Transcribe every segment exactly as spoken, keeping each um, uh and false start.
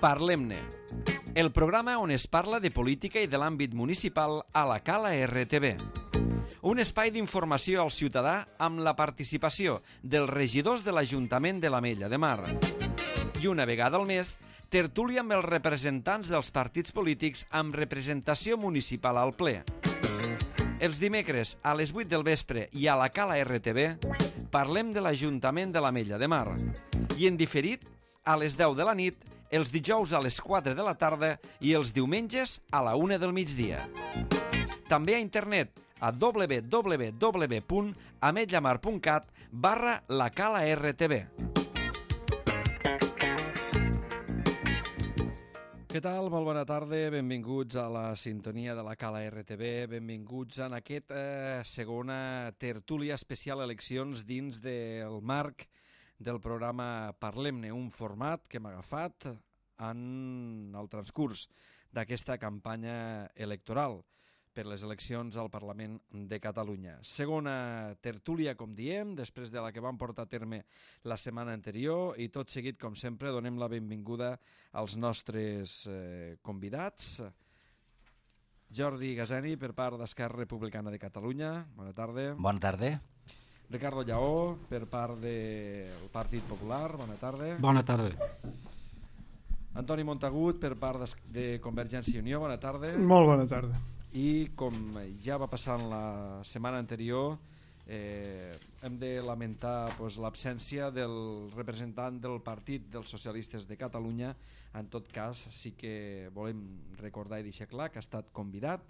Parlem-ne, el programa on es parla de política i de l'àmbit municipal a la Cala R T V. Un espai d'informació al ciutadà amb la participació dels regidors de l'Ajuntament de l'Ametlla de Mar. I una vegada al mes, tertúlia amb els representants dels partits polítics amb representació municipal al ple. Els dimecres a les vuit del vespre i a la Cala R T V parlem de l'Ajuntament de l'Ametlla de Mar. I en diferit, a les deu de la nit, els dijous a les quatre de la tarda i els diumenges a la una del migdia. També a internet a w w w punt ametllamar punt cat barra la Cala R T V. Què tal? Molt bona tarda, benvinguts a la sintonia de la Cala R T V, benvinguts en aquesta eh, segona tertúlia especial eleccions dins del marc del programa Parlem-ne, un format que hem agafat en el transcurs d'aquesta campanya electoral per les eleccions al Parlament de Catalunya. Segona tertúlia, com diem, després de la que vam portar a terme la setmana anterior, i tot seguit, com sempre, donem la benvinguda als nostres eh, convidats. Jordi Gazeni, per part d'Esquerra Republicana de Catalunya. Bona tarda. Bona tarda. Ricardo Lleó, per part del Partit Popular. Bona tarda. Bona tarda. Antoni Montagut, per part de Convergència i Unió. Bona tarda. Molt bona tarda. I com ja va passar en la setmana anterior, eh, hem de lamentar pues, l'absència del representant del Partit dels Socialistes de Catalunya. En tot cas, sí que volem recordar i deixar clar que ha estat convidat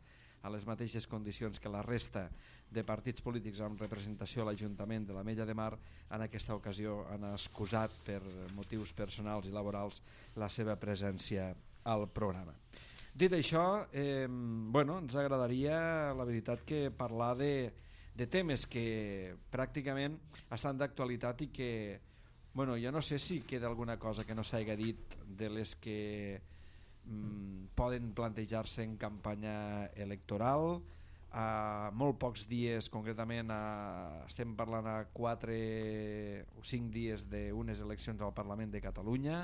a les mateixes condicions que la resta de partits polítics amb representació a l'Ajuntament de l'Ametlla de Mar. En aquesta ocasió han excusat per motius personals i laborals la seva presència al programa. Dit això, eh, bueno, ens agradaria, la veritat, que parlar de, de temes que pràcticament estan d'actualitat i que, bueno, jo no sé si queda alguna cosa que no s'hagi dit de les que mm, poden plantejar-se en campanya electoral. A molt pocs dies, concretament a, estem parlant a quatre o cinc dies d'unes eleccions al Parlament de Catalunya.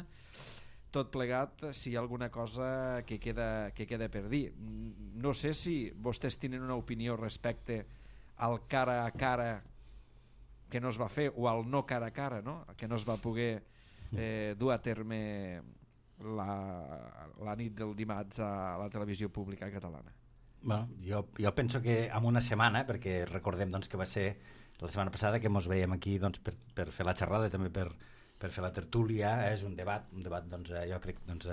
Tot plegat, si hi ha alguna cosa que queda, que queda per dir. No sé si vostès tenen una opinió respecte al cara a cara que no es va fer, o al no cara a cara, no? Que no es va poder eh, dur a terme la, la nit del dimarts a la televisió pública catalana. Bueno, jo, jo penso que en una setmana, perquè recordem doncs, que va ser la setmana passada que ens veiem aquí doncs, per, per fer la xerrada i també per, per fer la tertúlia, és un debat, un debat doncs, jo crec doncs,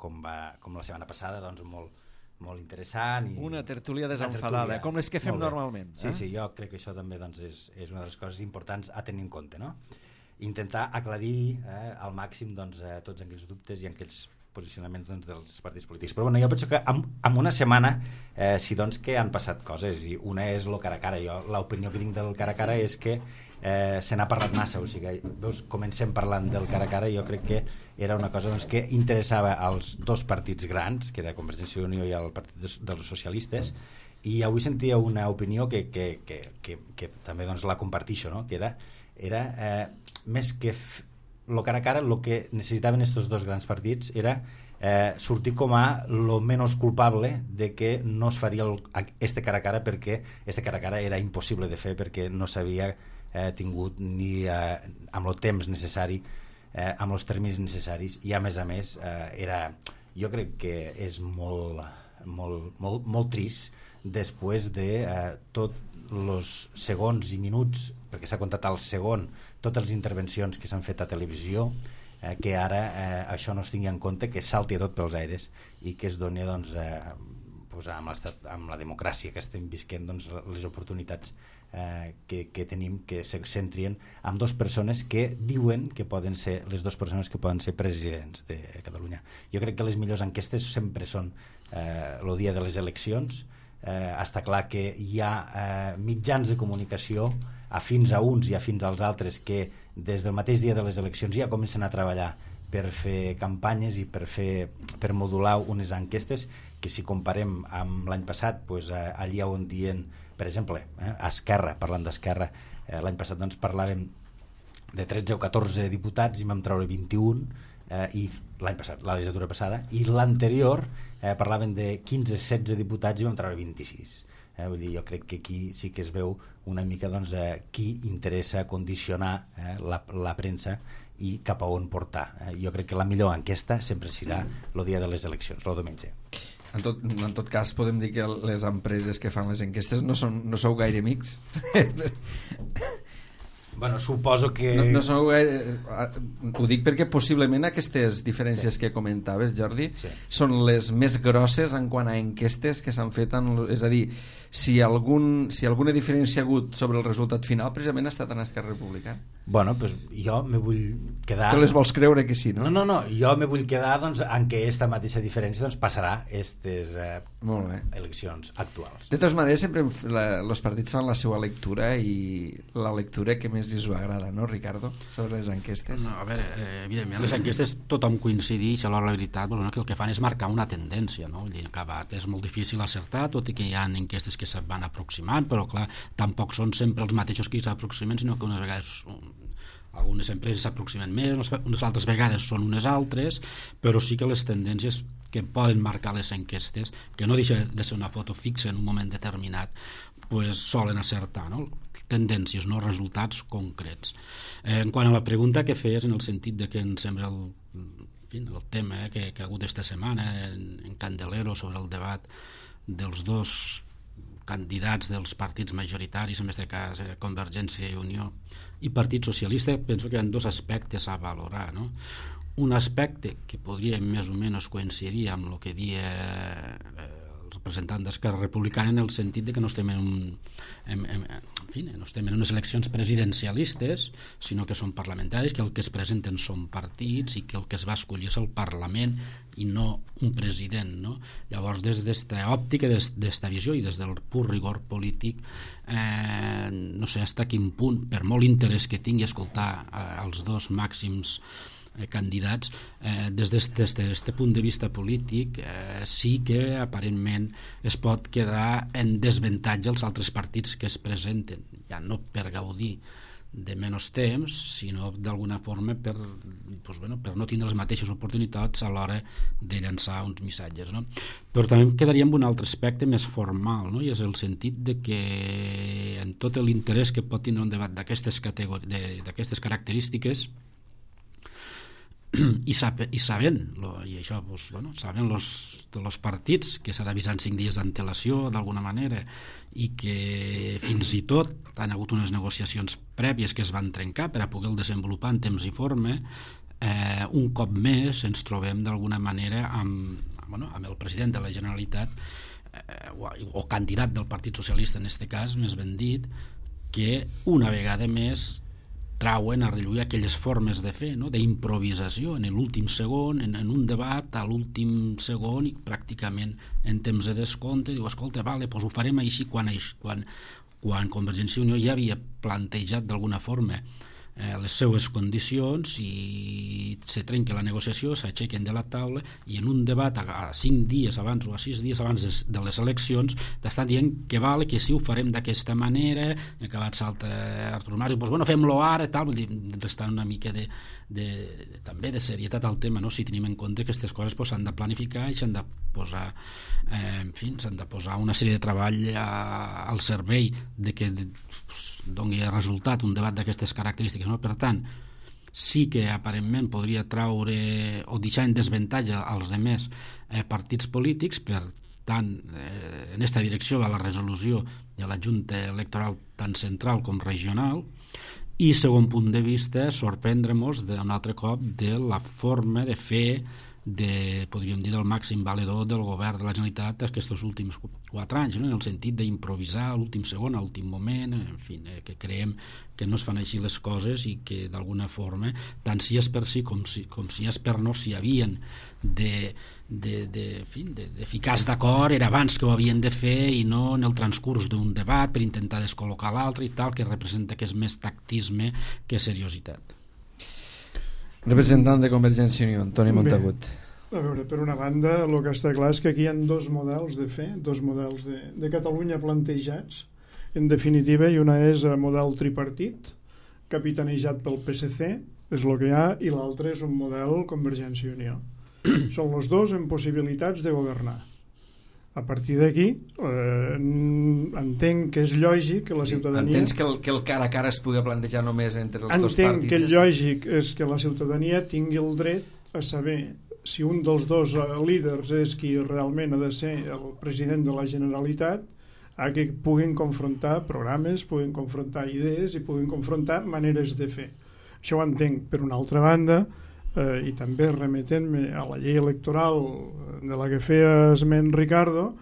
com, va, com la setmana passada, doncs, molt, molt interessant. I una tertúlia desenfadada, tertúlia, com les que fem normalment. Sí, eh? sí, jo crec que això també doncs, és, és una de les coses importants a tenir en compte, no? Intentar aclarir eh, al màxim doncs, eh, tots aquells dubtes i aquells posicionaments doncs, dels partits polítics. Però bueno, jo penso que en, en una setmana eh, sí doncs, que han passat coses, i una és el cara a cara. Jo l'opinió que tinc del cara a cara és que eh, se n'ha parlat massa, o sigui, veus, comencem parlant del cara a cara, i jo crec que era una cosa doncs, que interessava als dos partits grans, que era Convergència i Unió i el Partit dels Socialistes, i avui sentia una opinió que, que, que, que, que també doncs, la compartixo, no? Que era, era eh, més que f- lo cara a cara, el que necessitaven estos dos grans partits era eh, sortir com a lo menos culpable de que no es faria el, este cara a cara, perquè este cara a cara era impossible de fer, perquè no s'havia eh, tingut ni eh, amb el temps necessari, eh, amb els terminis necessaris, i a més a més eh, era, jo crec que és molt, molt, molt, molt trist després de eh, tots els segons i minuts, perquè s'ha comptat al segon totes les intervencions que s'han fet a televisió, eh, que ara eh, això no es tingui en compte, que salti a tot pels aires i que es doni doncs, eh, pues, amb, amb la democràcia que estem visquent, doncs, les oportunitats eh, que, que tenim, que se centrien amb dues persones que diuen que poden ser les dues persones que poden ser presidents de Catalunya. Jo crec que les millors enquestes sempre són eh, el dia de les eleccions. Eh, està clar que hi ha eh, mitjans de comunicació afins a uns i afins als altres que des del mateix dia de les eleccions ja comencen a treballar per fer campanyes i per, fer, per modular unes enquestes que, si comparem amb l'any passat, pues, eh, allà on dient, per exemple, eh, a Esquerra, parlant d'Esquerra, eh, l'any passat doncs, parlàvem de tretze o catorze diputats i vam treure vint-i-un, eh, i l'any passat, la legislatura passada, i l'anterior eh, parlaven de quinze setze diputats i vam treure vint-i-sis. Eh, vull dir, jo crec que aquí sí que es veu una mica doncs, eh, qui interessa condicionar eh, la, la premsa i cap a on portar. Eh, jo crec que la millor enquesta sempre serà el dia de les eleccions, el diumenge. En tot, en tot cas podem dir que les empreses que fan les enquestes no, són, no sou gaire amics. Bueno, suposo que... No, no sou gaire... Ho dic perquè possiblement aquestes diferències sí. que comentaves, Jordi, sí. són les més grosses en quant a enquestes que s'han fet. En, és a dir, si, algun, si alguna diferència ha hagut sobre el resultat final, precisament ha estat en Esquerra Republicana. Bueno, pues jo me vull quedar... Que les vols creure que sí, no? No, no, no, jo me vull quedar doncs, en què esta mateixa diferència doncs, passarà aquestes eh, eleccions actuals. De totes maneres, sempre els partits fan la seva lectura i la lectura que més els agrada, no, Ricardo? Sobre les enquestes. No, a veure, eh, evidentment, les enquestes tothom coincideix, a l'hora de la veritat, bueno, que el que fan és marcar una tendència, no? I acabat és molt difícil acertar, tot i que hi ha enquestes que se van aproximant, però clar, tampoc són sempre els mateixos que s'aproximen, sinó que unes vegades algunes empreses s'aproximen més, unes altres vegades són unes altres, però sí que les tendències que poden marcar les enquestes, que no deixa de ser una foto fixa en un moment determinat, pues solen acertar, no? Tendències, no resultats concrets. Eh, en quant a la pregunta que feies, en el sentit de que em sembla el, en fi, el tema eh, que, que ha hagut esta setmana en, en Candelero sobre el debat dels dos candidats dels partits majoritaris, en aquest cas eh, Convergència i Unió i Partit Socialista, penso que hi ha dos aspectes a valorar, no? Un aspecte que podria més o menys coincidir amb el que dia eh, representant d'Esquerra Republicana, en el sentit de que no estem en, un, en, en, en, fi, no estem en unes eleccions presidencialistes, sinó que són parlamentaris, que el que es presenten són partits i que el que es va escollir és el Parlament i no un president, no? Llavors, des d'esta òptica, des d'esta visió i des del pur rigor polític, eh, no sé fins a quin punt, per molt interès que tingui escoltar eh, els dos màxims candidats, eh, des d'aquest punt de vista polític eh, sí que aparentment es pot quedar en desavantatge els altres partits que es presenten, ja no per gaudir de menys temps, sinó d'alguna forma per, doncs, bueno, per no tindre les mateixes oportunitats a l'hora de llançar uns missatges, no? Però també quedaria amb un altre aspecte més formal, no? I és el sentit de que en tot l'interès que pot tindre un debat d'aquestes d'aquestes característiques i, sap, i sabent lo, i això, pues, bueno, sabent los, los partits que s'ha d'avisar en cinc dies d'antelació d'alguna manera i que fins i tot han hagut unes negociacions prèvies que es van trencar per a poder desenvolupar en temps i forma, eh, un cop més ens trobem d'alguna manera amb, bueno, amb el president de la Generalitat eh, o, o candidat del Partit Socialista en aquest cas, més ben dit, que una vegada més trauen a relluir aquelles formes de fer, no? D'improvisació en l'últim segon, en, en un debat a l'últim segon i pràcticament en temps de descompte, diu, escolta, vale, doncs ho farem així quan, quan, quan Convergència i Unió ja havia plantejat d'alguna forma eh, les seues condicions i se trenca la negociació, s'aixequen de la taula i en un debat a, a cinc dies abans o a sis dies abans de, de les eleccions t'estan dient que vale, que sí, ho farem d'aquesta manera, i acabat salta Artur Mas, i doncs bueno, fem-lo ara, tal, vull dir, restant una mica de, de, de, també de serietat al tema, no? Si tenim en compte que aquestes coses s'han pues, de planificar i s'han de posar eh, en fi, s'han de posar una sèrie de treball a, al servei de que pues, doni resultat un debat d'aquestes característiques, no? Per tant, sí que aparentment podria traure o deixar en desavantatge als demés eh, partits polítics, per tant eh, en aquesta direcció va la resolució de la Junta Electoral tant central com regional. I segon punt de vista, sorprendre-nos d'un altre cop de la forma de fer de, podríem dir, del màxim valedor del govern de la Generalitat aquests últims quatre anys, no? En el sentit d'improvisar a l'últim segon, a l'últim moment, en fi, eh, que creiem que no es fan així les coses i que d'alguna forma, tant si és per sí com si, com si és per no, si havien de, de, de, en fi, de, de ficar-se d'acord, era abans que ho havien de fer i no en el transcurs d'un debat per intentar descol·locar l'altre i tal, que representa que és més tactisme que seriositat. Representant de Convergència i Unió, Antoni Montagut. Bé, a veure, per una banda, el que està clar és que aquí hi ha dos models de fer, dos models de, de Catalunya plantejats, en definitiva, i una és el model tripartit, capitanejat pel P S C, és el que hi ha, i l'altre és un model Convergència i Unió. Són els dos en possibilitats de governar. A partir d'aquí, eh, entenc que és lògic que la ciutadania... Entens que el, que el cara a cara es pugui plantejar només entre els entenc dos partits? Entenc que el lògic és que la ciutadania tingui el dret a saber si un dels dos eh, líders és qui realment ha de ser el president de la Generalitat, a que puguin confrontar programes, puguin confrontar idees i puguin confrontar maneres de fer. Això ho entenc. Per una altra banda, eh, i també remetent-me a la llei electoral de la que feia esment Ricardo,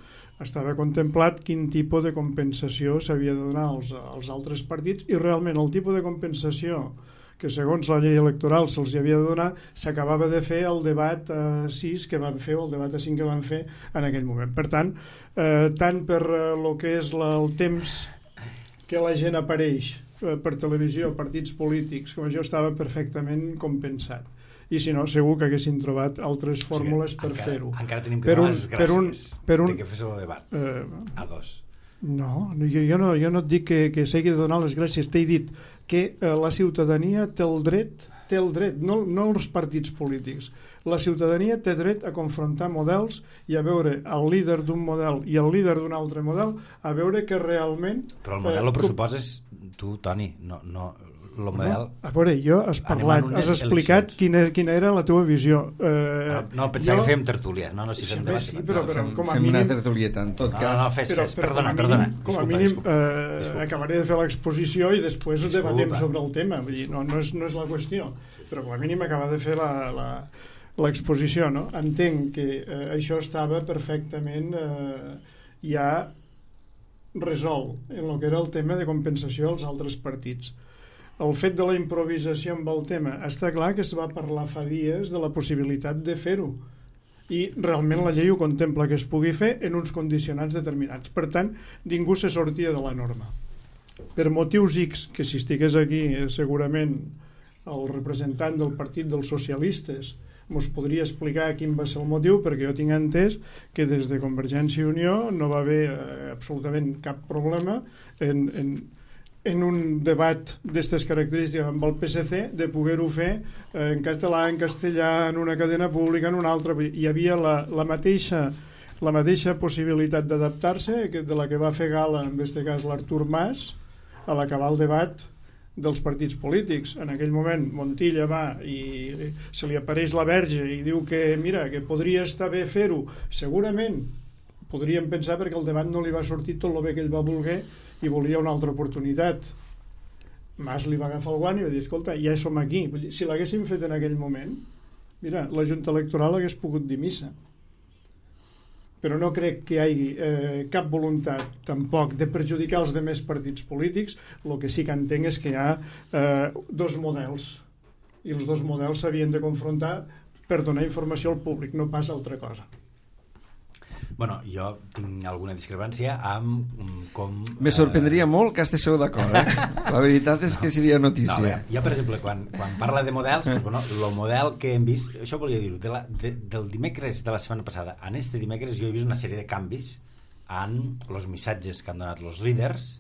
estava contemplat quin tipus de compensació s'havia de donar als, als altres partits, i realment el tipus de compensació que segons la llei electoral se'ls havia de donar s'acabava de fer el debat a sis que van fer, o el debat a cinc que van fer en aquell moment. Per tant, eh, tant per el que és la, el temps que la gent apareix eh, per televisió, partits polítics, com això estava perfectament compensat. I si no, segur que haguessin trobat altres fórmules, o sigui, per encara, fer-ho. Encara tenim que donar les gràcies per un, per un, de que fes el debat eh, a dos. No, jo, jo no, jo no et dic que, que s'hagi de donar les gràcies, t'he dit que eh, la ciutadania té el dret, té el dret, no, no els partits polítics, la ciutadania té dret a confrontar models i a veure el líder d'un model i el líder d'un altre model, a veure que realment... Però el model eh, el pressuposes tu, Toni, no... no el model... No, a veure, jo has parlat, has explicat quina, quina era la teva visió. Eh, no, no, pensava jo... que fèiem tertúlia. No, no, si fem debat. Sí, però, però, fem, com a fem mínim... una tertulieta, en tot no, cas. No, no, fes, però, fes. Però, perdona, com perdona. Mínim, com a disculpa, mínim disculpa, eh, disculpa. acabaré de fer l'exposició i després Disculpa. debatem sobre el tema. Vull dir, no, no, és, no és la qüestió. Però com a mínim acaba de fer la... la l'exposició, no? Entenc que eh, això estava perfectament eh, ja resolt en el que era el tema de compensació als altres partits. El fet de la improvisació amb el tema, està clar que es va parlar fa dies de la possibilitat de fer-ho, i realment la llei ho contempla, que es pugui fer en uns condicionants determinats. Per tant, ningú se sortia de la norma. Per motius X, que si estigués aquí eh, segurament el representant del Partit dels Socialistes mos podria explicar quin va ser el motiu, perquè jo tinc entès que des de Convergència i Unió no va haver eh, absolutament cap problema en, en, en un debat d'aquestes característiques amb el P S C de poder-ho fer eh, en català, en castellà, en una cadena pública, en una altra. Hi havia la, la mateixa la mateixa possibilitat d'adaptar-se de la que va fer gala, en aquest cas l'Artur Mas, a l'acabar el debat dels partits polítics. En aquell moment Montilla va i se li apareix la Verge i diu que mira, que podria estar bé fer-ho. Segurament podríem pensar, perquè el debat no li va sortir tot el bé que ell va voler i volia una altra oportunitat. Mas li va agafar el guant i va dir, escolta, ja som aquí. Si l'haguéssim fet en aquell moment, mira, la Junta Electoral hagués pogut dir missa. Però no crec que hi hagi eh, cap voluntat tampoc de perjudicar els demés partits polítics. El que sí que entenc és que hi ha eh, dos models, i els dos models s'havien de confrontar per donar informació al públic, no pas altra cosa. Bueno, jo tinc alguna discrepància amb com... Me sorprendria eh... molt que estigueu d'acord, eh? La veritat és no, que seria notícia. No, veure, jo, per exemple, quan, quan parla de models, pues, bueno, el model que hem vist, això volia dir-ho, de la, de, del dimecres de la setmana passada, en este dimecres jo he vist una sèrie de canvis en els missatges que han donat els líders,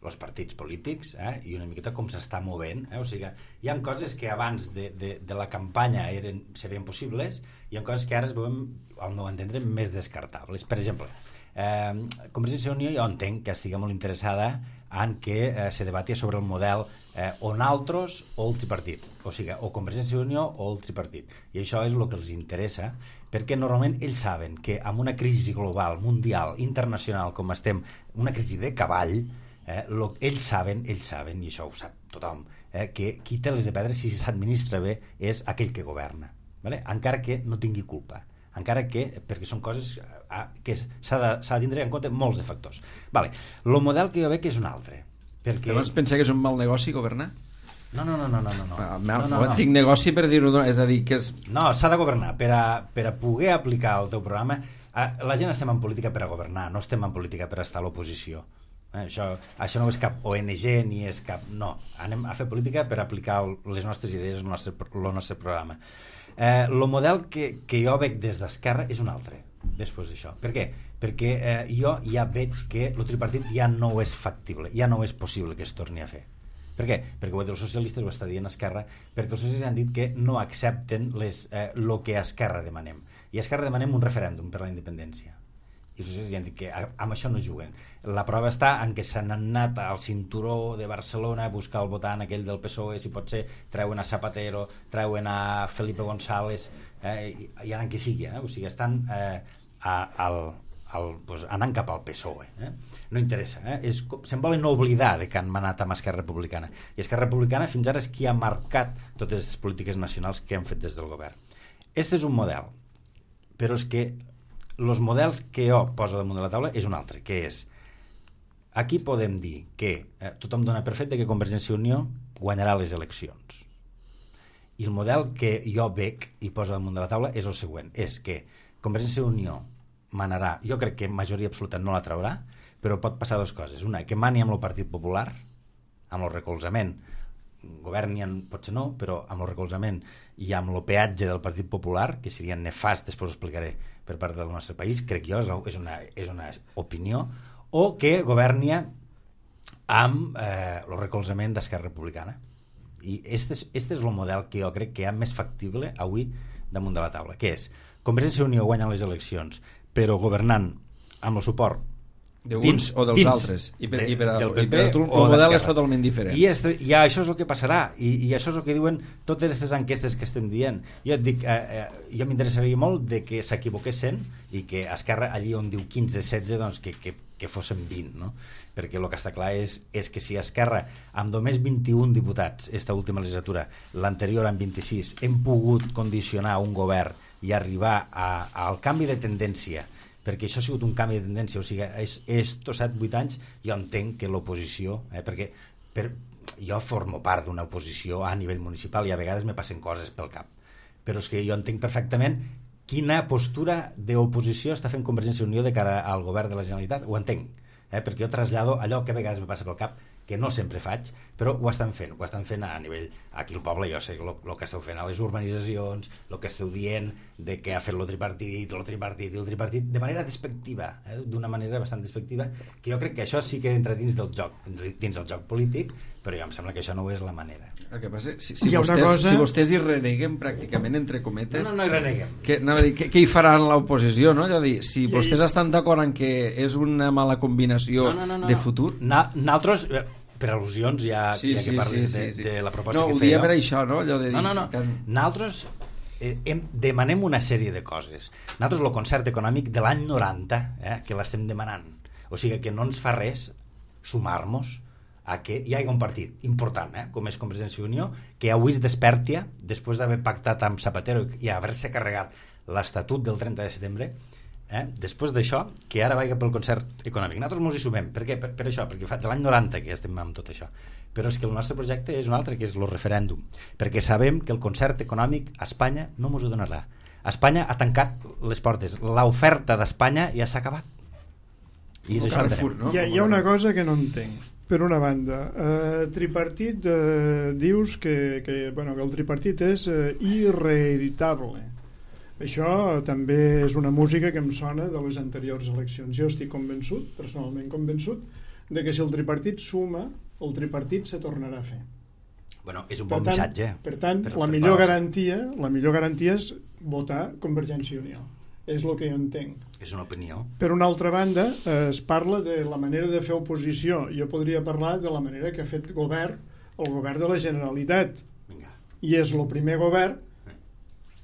els partits polítics, eh, i una miqueta com s'està movent. Eh? O sigui, hi ha coses que abans de, de, de la campanya eren, serien possibles, i hi ha coses que ara es veuen, al meu entendre, més descartables. Per exemple, eh, Convergència i Unió jo entenc que estigui molt interessada en que eh, se debatia sobre el model eh, o naltros o el tripartit, o sigui, o Convergència i Unió o el tripartit, i això és el que els interessa, perquè normalment ells saben que amb una crisi global, mundial, internacional, com estem, una crisi de cavall, Eh, lo, ells saben, ells saben, i això ho sap tothom, eh, que qui té les de perdre si s'administra bé és aquell que governa, vale? Encara que no tingui culpa, encara que, perquè són coses eh, que s'ha de, s'ha de tindre en compte molts de factors. Vale. El model que jo veig és un altre. Perquè... Llavors pensa que és un mal negoci governar? No, no, no, no, no, no. Ah, no, no, no. Dic negoci per dir-ho, és a dir, que és... No, s'ha de governar, per a, per a poder aplicar el teu programa. La gent estem en política per a governar, no estem en política per a estar a l'oposició. Eh, això, això no és cap O N G ni és cap... No, anem a fer política per aplicar les nostres idees, el nostre, el nostre programa. Eh, el model que, que jo veig des d'Esquerra és un altre, després d'això. Per què? Perquè eh, jo ja veig que el tripartit ja no és factible, ja no és possible que es torni a fer. Per què? Perquè ho els socialistes ho està dient Esquerra, perquè els socialistes han dit que no accepten les, eh, lo que a Esquerra demanem. I a Esquerra demanem un referèndum per la independència. I els socialistes han dit que amb això no juguen. La prova està en que s'han anat al cinturó de Barcelona a buscar el votant aquell del P S O E, si pot ser, treuen a Zapatero, treuen a Felipe González, eh, i, i anant qui sigui, eh? O sigui, estan eh, a, al, al, pues, anant cap al P S O E. Eh? No interessa. Eh? És, se'n volen oblidar de que han manat amb Esquerra Republicana. I Esquerra Republicana fins ara és qui ha marcat totes les polítiques nacionals que han fet des del govern. Este és un model, però és que els models que jo poso damunt de la taula és un altre, que és aquí podem dir que eh, tothom dona per fet que Convergència i Unió guanyarà les eleccions, i el model que jo veig i poso damunt de la taula és el següent, és que Convergència i Unió manarà, jo crec que majoria absoluta no la traurà, però pot passar dues coses, una, que mani amb el Partit Popular, amb el recolzament, governien potser no, però amb el recolzament i amb el peatge del Partit Popular, que seria nefast, després ho explicaré, per part del nostre país, crec jo, és una, és una opinió, o que governia amb eh, el recolzament d'Esquerra Republicana. I este és, este és el model que jo crec que hi ha més factible avui damunt de la taula, que és Convergència i Unió guanya les eleccions, però governant amb el suport d'uns o dels dins, altres, i per, de, i per, a, i per a tu el model és totalment diferent, i, este, i això és el que passarà, i, i això és el que diuen totes aquestes enquestes que estem dient. Jo et dic, eh, eh, jo m'interessaria molt de que s'equivoquessin i que Esquerra allí on diu quinze setze, doncs que, que, que fossin vint, no? Perquè el que està clar és, és que si Esquerra amb només vint-i-un diputats esta última legislatura, l'anterior amb vint-i-sis, hem pogut condicionar un govern i arribar a, al canvi de tendència, perquè això ha sigut un canvi de tendència, o sigui, és, és tots set vuit anys, jo entenc que l'oposició, eh, perquè per, jo formo part d'una oposició a nivell municipal i a vegades me passen coses pel cap, però és que jo entenc perfectament quina postura d'oposició està fent Convergència i Unió de cara al govern de la Generalitat, ho entenc, eh, perquè jo trasllado allò que a vegades me passa pel cap, que no sempre faig, però ho estan fent, ho estan fent a nivell, aquí al poble jo sé el que esteu fent a les urbanitzacions, el que esteu dient de que ha fet el tripartit, el tripartit i el tripartit, de manera despectiva, eh, d'una manera bastant despectiva, que jo crec que això sí que entra dins del joc, dins del joc polític, però ja em sembla que això no és la manera. El que passa, si, si, vostès, cosa... si vostès hi reneguen pràcticament entre cometes, no, no, no hi reneguem, que, no, què, què hi faran l'oposició, no? Dir, si vostès estan d'acord en que és una mala combinació no, no, no, no. de futur, Na, nosaltres per al·lusions ja, sí, ja que sí, parles sí, sí, sí. De, de la proposta no, que feia. No, ho dia per això, no? Allò de dir, no, no, no. Que... Nosaltres eh, hem, demanem una sèrie de coses. Nosaltres el concert econòmic de l'any noranta, eh, que l'estem demanant. O sigui que no ens fa res sumar-nos a que hi hagi un partit important, eh, com és Convergència i Unió, que avui es despertia, després d'haver pactat amb Zapatero i haver-se carregat l'Estatut del trenta de setembre, eh, després d'això, que ara vagi pel concert econòmic. Nosaltres ens hi sumem. Per què? Per, per això, perquè fa de l'any noranta que estem amb tot això. Però és que el nostre projecte és un altre, que és el referèndum, perquè sabem que el concert econòmic a Espanya no ens ho donarà. Espanya ha tancat les portes. L'oferta d'Espanya ja s'ha acabat. I és això Carrefour, no? Hi ha, hi ha una cosa que no entenc. Per una banda, eh, tripartit, eh, dius que, que, bueno, que el tripartit és eh, irreeditable. Això també és una música que em sona de les anteriors eleccions. Jo estic convençut, personalment convençut, de que si el tripartit suma, el tripartit se tornarà a fer. Bueno, és un per bon tant, missatge. Per tant, per, la, per millor paus. garantia, la millor garantia és votar Convergència i Unió. És el que jo entenc. És una opinió. Per una altra banda, eh, es parla de la manera de fer oposició. Jo podria parlar de la manera que ha fet govern, el govern de la Generalitat. Vinga. I és el primer govern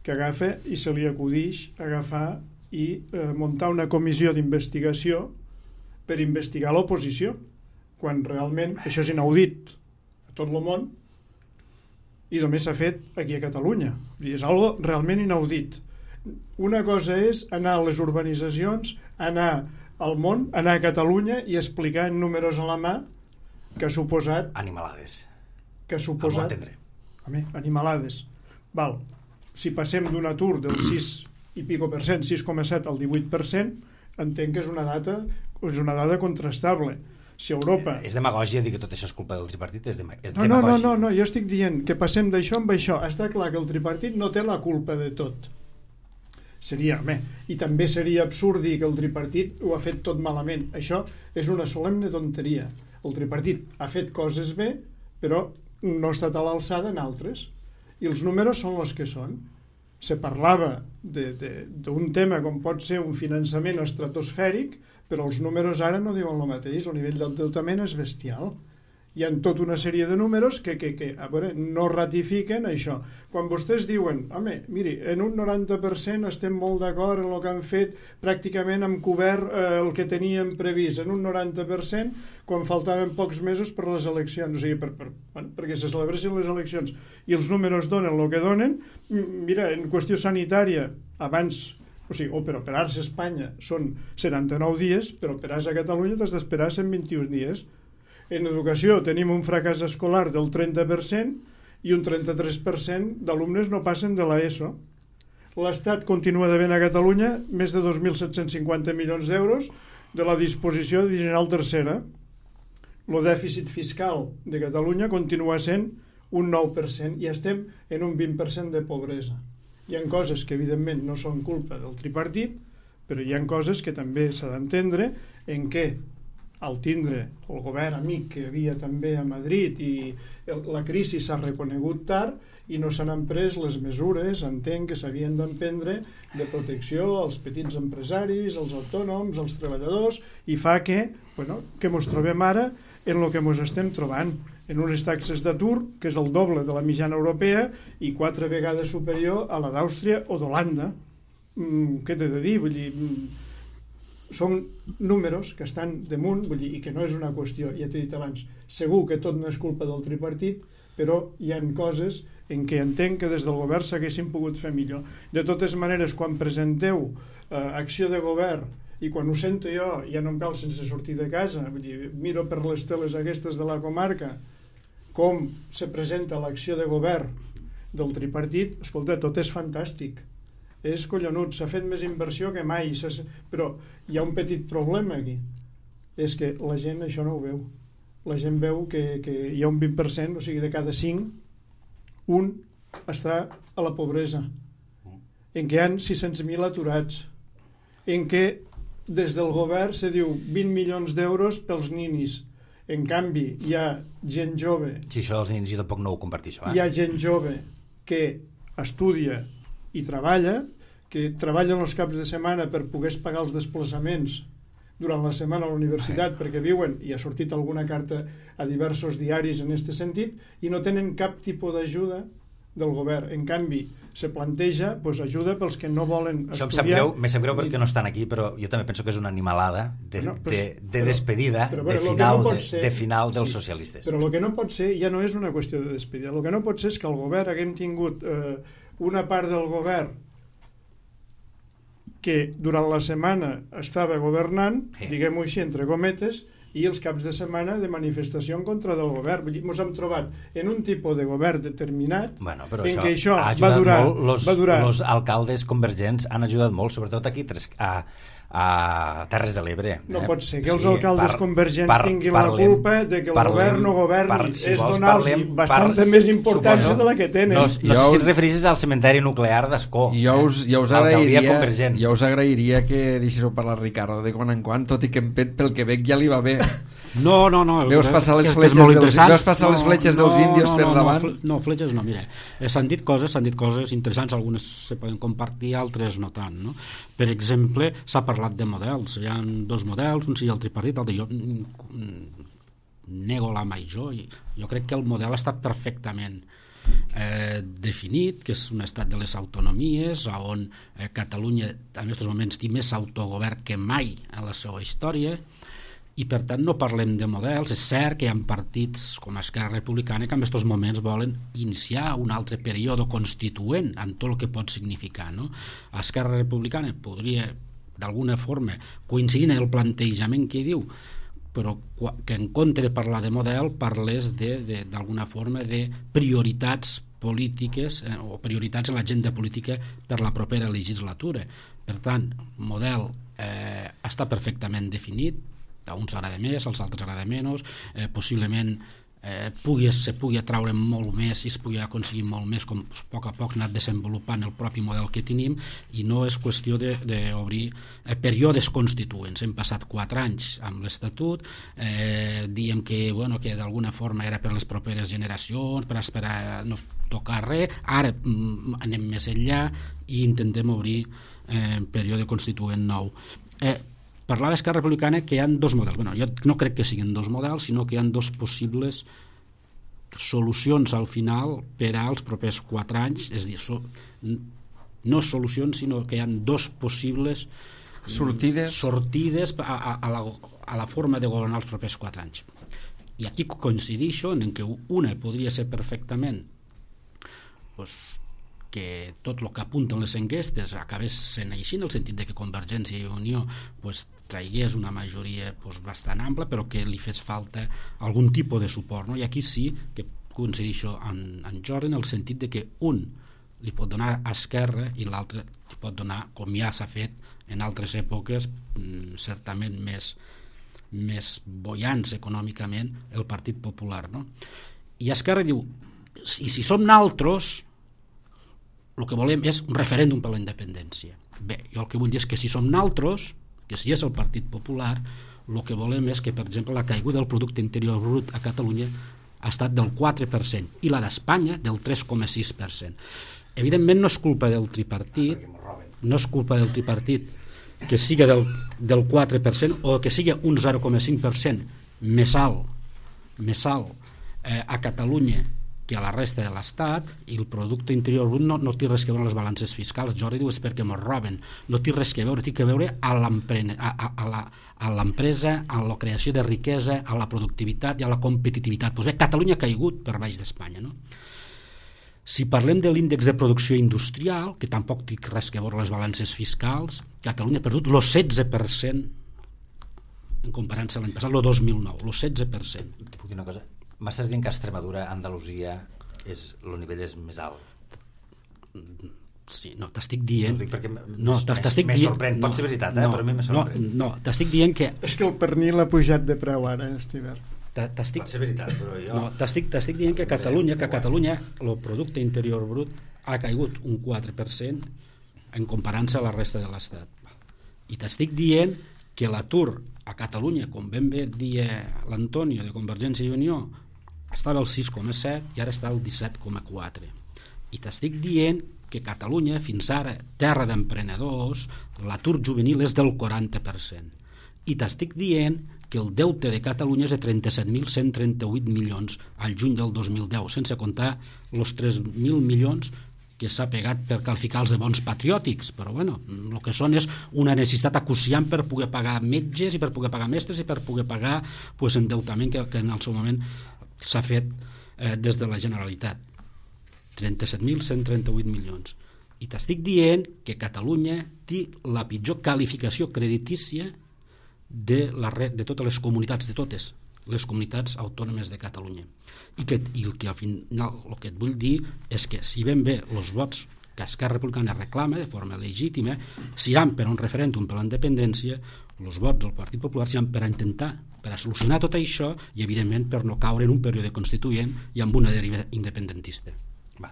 que agafa i se li acudix agafar i eh, muntar una comissió d'investigació per investigar l'oposició, quan realment això és inaudit a tot el món i només s'ha fet aquí a Catalunya. És algo realment inaudit. Una cosa és anar a les urbanitzacions, anar al món, anar a Catalunya i explicar en números a la mà que ha suposat... Animalades. Que ha suposat... Home, animalades. Val. Si passem d'un atur del sis i pico per cent, sis coma set al divuit per cent, entenc que és una data és una dada contrastable. Si Europa... És demagògia dir que tot això és culpa del tripartit, és, de, és no, no, demagògia. No, no, no, jo estic dient que passem d'això amb això. Està clar que el tripartit no té la culpa de tot. Seria, home, i també seria absurd dir que el tripartit ho ha fet tot malament. Això és una solemne tonteria. El tripartit ha fet coses bé però no ha estat a l'alçada en altres. I els números són els que són. Se parlava d'un tema com pot ser un finançament estratosfèric, però els números ara no diuen el mateix, el nivell d'endeutament és bestial. Hi ha tota una sèrie de números que, que, que a veure, no ratifiquen això. Quan vostès diuen, home, miri, en un noranta per cent estem molt d'acord en el que han fet, pràcticament hem cobert eh, el que teníem previst, en un noranta per cent, quan faltaven pocs mesos per les eleccions, o sigui, per, per, bueno, perquè se celebressin les eleccions i els números donen el que donen. Mira, en qüestió sanitària, abans, o sigui, o per operar-se a Espanya són setanta-nou dies, per operar-se a Catalunya t'has d'esperar cent vint-i-un dies. En educació tenim un fracàs escolar del trenta per cent i un trenta-tres per cent d'alumnes no passen de l'ESO. L'Estat continua devent a Catalunya més de dos mil set-cents cinquanta milions d'euros de la disposició addicional tercera. El dèficit fiscal de Catalunya continua sent un nou per cent i estem en un vint per cent de pobresa. Hi ha coses que evidentment no són culpa del tripartit, però hi ha coses que també s'ha d'entendre en què al tindre el govern amic que hi havia també a Madrid i el, la crisi s'ha reconegut tard i no s'han pres les mesures, entenc, que s'havien d'emprendre de protecció als petits empresaris, als autònoms, als treballadors, i fa que, bueno, que mos trobem ara en el que mos estem trobant, en unes taxes d'atur que és el doble de la mitjana europea i quatre vegades superior a la d'Àustria o d'Holanda. Mm, què t'he de dir? Vull dir, mm, són números que estan damunt, vull dir, i que no és una qüestió, ja t'he dit abans, segur que tot no és culpa del tripartit, però hi ha coses en què entenc que des del govern s'haguessin pogut fer millor. De totes maneres, quan presenteu eh, acció de govern i quan ho sento jo ja no em cal sense sortir de casa, vull dir, miro per les teles aquestes de la comarca com se presenta l'acció de govern del tripartit, escolta, tot és fantàstic, és collonut, s'ha fet més inversió que mai, però hi ha un petit problema aquí, és que la gent això no ho veu. La gent veu que, que hi ha un vint per cent, o sigui, de cada cinc, un està a la pobresa, en què hi ha sis-cents mil aturats, en què des del govern se diu vint milions d'euros pels ninis. En canvi, hi ha gent jove... Si això els ninis jo tampoc no ho comparteixo. Eh? Hi ha gent jove que estudia i treballa, que treballa els caps de setmana per poder pagar els desplaçaments durant la setmana a la universitat perquè viuen, i ha sortit alguna carta a diversos diaris en aquest sentit, i no tenen cap tipus d'ajuda del govern. En canvi, se planteja pues, ajuda pels que no volen estudiar. Això em sap greu, me sap greu perquè no estan aquí, però jo també penso que és una animalada de, no, però, de, de però, despedida, però, però, de, final, no de, ser, de final dels sí, socialistes. Però el que no pot ser ja no és una qüestió de despedida. El que no pot ser és que el govern haguem tingut eh, una part del govern que durant la setmana estava governant, sí. diguem-ho així, entre cometes, i els caps de setmana de manifestació en contra del govern. Ens hem trobat en un tipus de govern determinat bueno, però en això què això ha va durar... Molt, los, va durar... los alcaldes convergents han ajudat molt, sobretot aquí a, a Terres de l'Ebre. No eh? pot ser que els sí, alcaldes par, convergents par, tinguin parlem, la culpa de que el parlem, govern no governi. par, si és donar-los bastanta par, més importància suposo, de la que tenen. No, no sé si et refereixes al cementeri nuclear d'Ascó. Jo us, jo us agrairia, jo us agrairia que deixéssiu parlar Ricardo de quan en quan, tot i que pel que veig ja li va bé. No, no, no. Veus passar les fletxes, dels, veus passar no, les fletxes no, dels índios no, per no, davant? No, no, fletxes no, mira. S'han dit coses, s'han dit coses interessants, algunes se poden compartir, altres no tant, no? Per exemple, s'ha parlat de models, hi ha dos models, un sigui el tripartit, l'altre jo nego la major, jo crec que el model està perfectament eh, definit, que és un estat de les autonomies, on eh, Catalunya en aquests moments té més autogovern que mai en la seva història, i per tant no parlem de models. És cert que hi ha partits com Esquerra Republicana que en aquests moments volen iniciar un altre període constituent en tot el que pot significar, no? Esquerra Republicana podria d'alguna forma coincidir en el plantejament que diu, però que en compte de parlar de model parles d'alguna forma de prioritats polítiques eh, o prioritats en l'agenda política per la propera legislatura. Per tant, model eh, està perfectament definit, a uns agrada més, als altres agrada menys, eh, possiblement eh, pugui, se pugui atraure molt més i es pugui aconseguir molt més, com a poc a poc anat desenvolupant el propi model que tenim, i no és qüestió d'obrir eh, períodes constituents. Hem passat quatre anys amb l'Estatut, eh, diem que, bueno, que d'alguna forma era per les properes generacions, per esperar no tocar res, ara mm, anem més enllà i intentem obrir eh, període constituent nou. Eh, Parlava Esquerra Republicana que hi ha dos models. Bueno, jo no crec que siguin dos models, sinó que hi ha dos possibles solucions al final per als propers quatre anys. És a dir, so, no solucions, sinó que hi ha dos possibles sortides, sortides a, a, a, la, a la forma de governar els propers quatre anys. I aquí coincidixo en que una podria ser perfectament pues, que tot el que apunten les enquestes acabés sent així, en el sentit de que Convergència i Unió pues, traigués una majoria pues, bastant ampla, però que li fes falta algun tipus de suport, no? I aquí sí que coincidixo en, en Jordi en el sentit de que un li pot donar a Esquerra i l'altre li pot donar, com ja s'ha fet en altres èpoques, certament més, més boiants econòmicament, el Partit Popular, no? I Esquerra diu, i si som naltros, el que volem és un referèndum per la independència. Bé, jo el que vull dir és que si som naltros, que si és el Partit Popular, el que volem és que, per exemple, la caiguda del producte interior brut a Catalunya ha estat del quatre per cent i la d'Espanya del tres coma sis per cent. Evidentment no és culpa del tripartit, no és culpa del tripartit que sigui del, del quatre per cent o que sigui un zero coma cinc per cent més alt, més alt eh, a Catalunya que a la resta de l'Estat, i el producte interior brut no, no té res que veure amb les balances fiscals. Jordi diu és perquè ens roben, no té res que veure, té que veure a l'empresa, a la creació de riquesa, a la productivitat i a la competitivitat. Pues bé, Catalunya ha caigut per baix d'Espanya, no? Si parlem de l'índex de producció industrial, que tampoc té res que veure les balances fiscals, Catalunya ha perdut el setze per cent en comparança amb l'any passat, el dos mil nou, el setze per cent. Te puc dir una cosa? M'estàs dient que Extremadura, Andalusia, és, el nivell és més alt? Sí, no, t'estic dient... No, perquè no, t'estic dient... sorprèn, pot ser veritat, eh? No, però a mi me sorprèn. No, no, t'estic dient que... És que el pernil ha pujat de preu ara, Estiver. T'estic... Pot ser veritat, però jo... No, t'estic, t'estic dient que a Catalunya, que a Catalunya el producte interior brut ha caigut un quatre per cent en comparança a la resta de l'Estat. I t'estic dient que l'atur a Catalunya, com ben bé dia l'Antonio de Convergència i Unió, estava al sis coma set i ara està al disset coma quatre. I t'estic dient que Catalunya, fins ara, terra d'emprenedors, l'atur juvenil és del quaranta per cent. I t'estic dient que el deute de Catalunya és de trenta-set mil cent trenta-vuit milions al juny del dos mil deu, sense comptar els tres mil milions que s'ha pegat per qualificar els de bons patriòtics, però bueno, el que són és una necessitat acuciant per poder pagar metges i per poder pagar mestres i per poder pagar pues, endeutament que, que en el seu moment s'ha fet eh, des de la Generalitat. trenta-set mil cent trenta-vuit milions. I t'estic dient que Catalunya té la pitjor qualificació creditícia de, la, de totes les comunitats, de totes les comunitats autònomes de Catalunya. I que, i el que al final el que et vull dir és que si ben bé els vots que Esquerra Republicana reclama de forma legítima seran per un referèndum per la independència, els vots del Partit Popular seran per a intentar, per a solucionar tot això i evidentment per no caure en un període constituent i amb una deriva independentista. Va.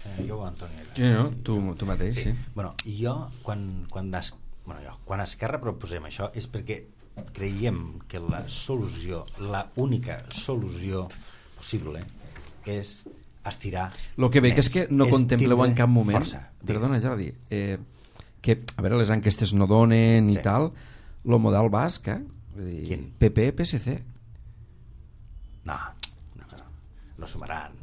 Eh, jo, Antoni. Sí, no, tu, tu mateix, sí. sí. Bueno, jo, quan, quan, es, bueno, jo, quan a Esquerra proposem això és perquè creiem que la solució, la única solució possible és estirar el que veig és que no contempleu en cap moment força, perdona Jordi eh, que a veure les enquestes no donen sí. i tal, el model basc eh? Quin? P P, P S C no, no, no, no sumaran.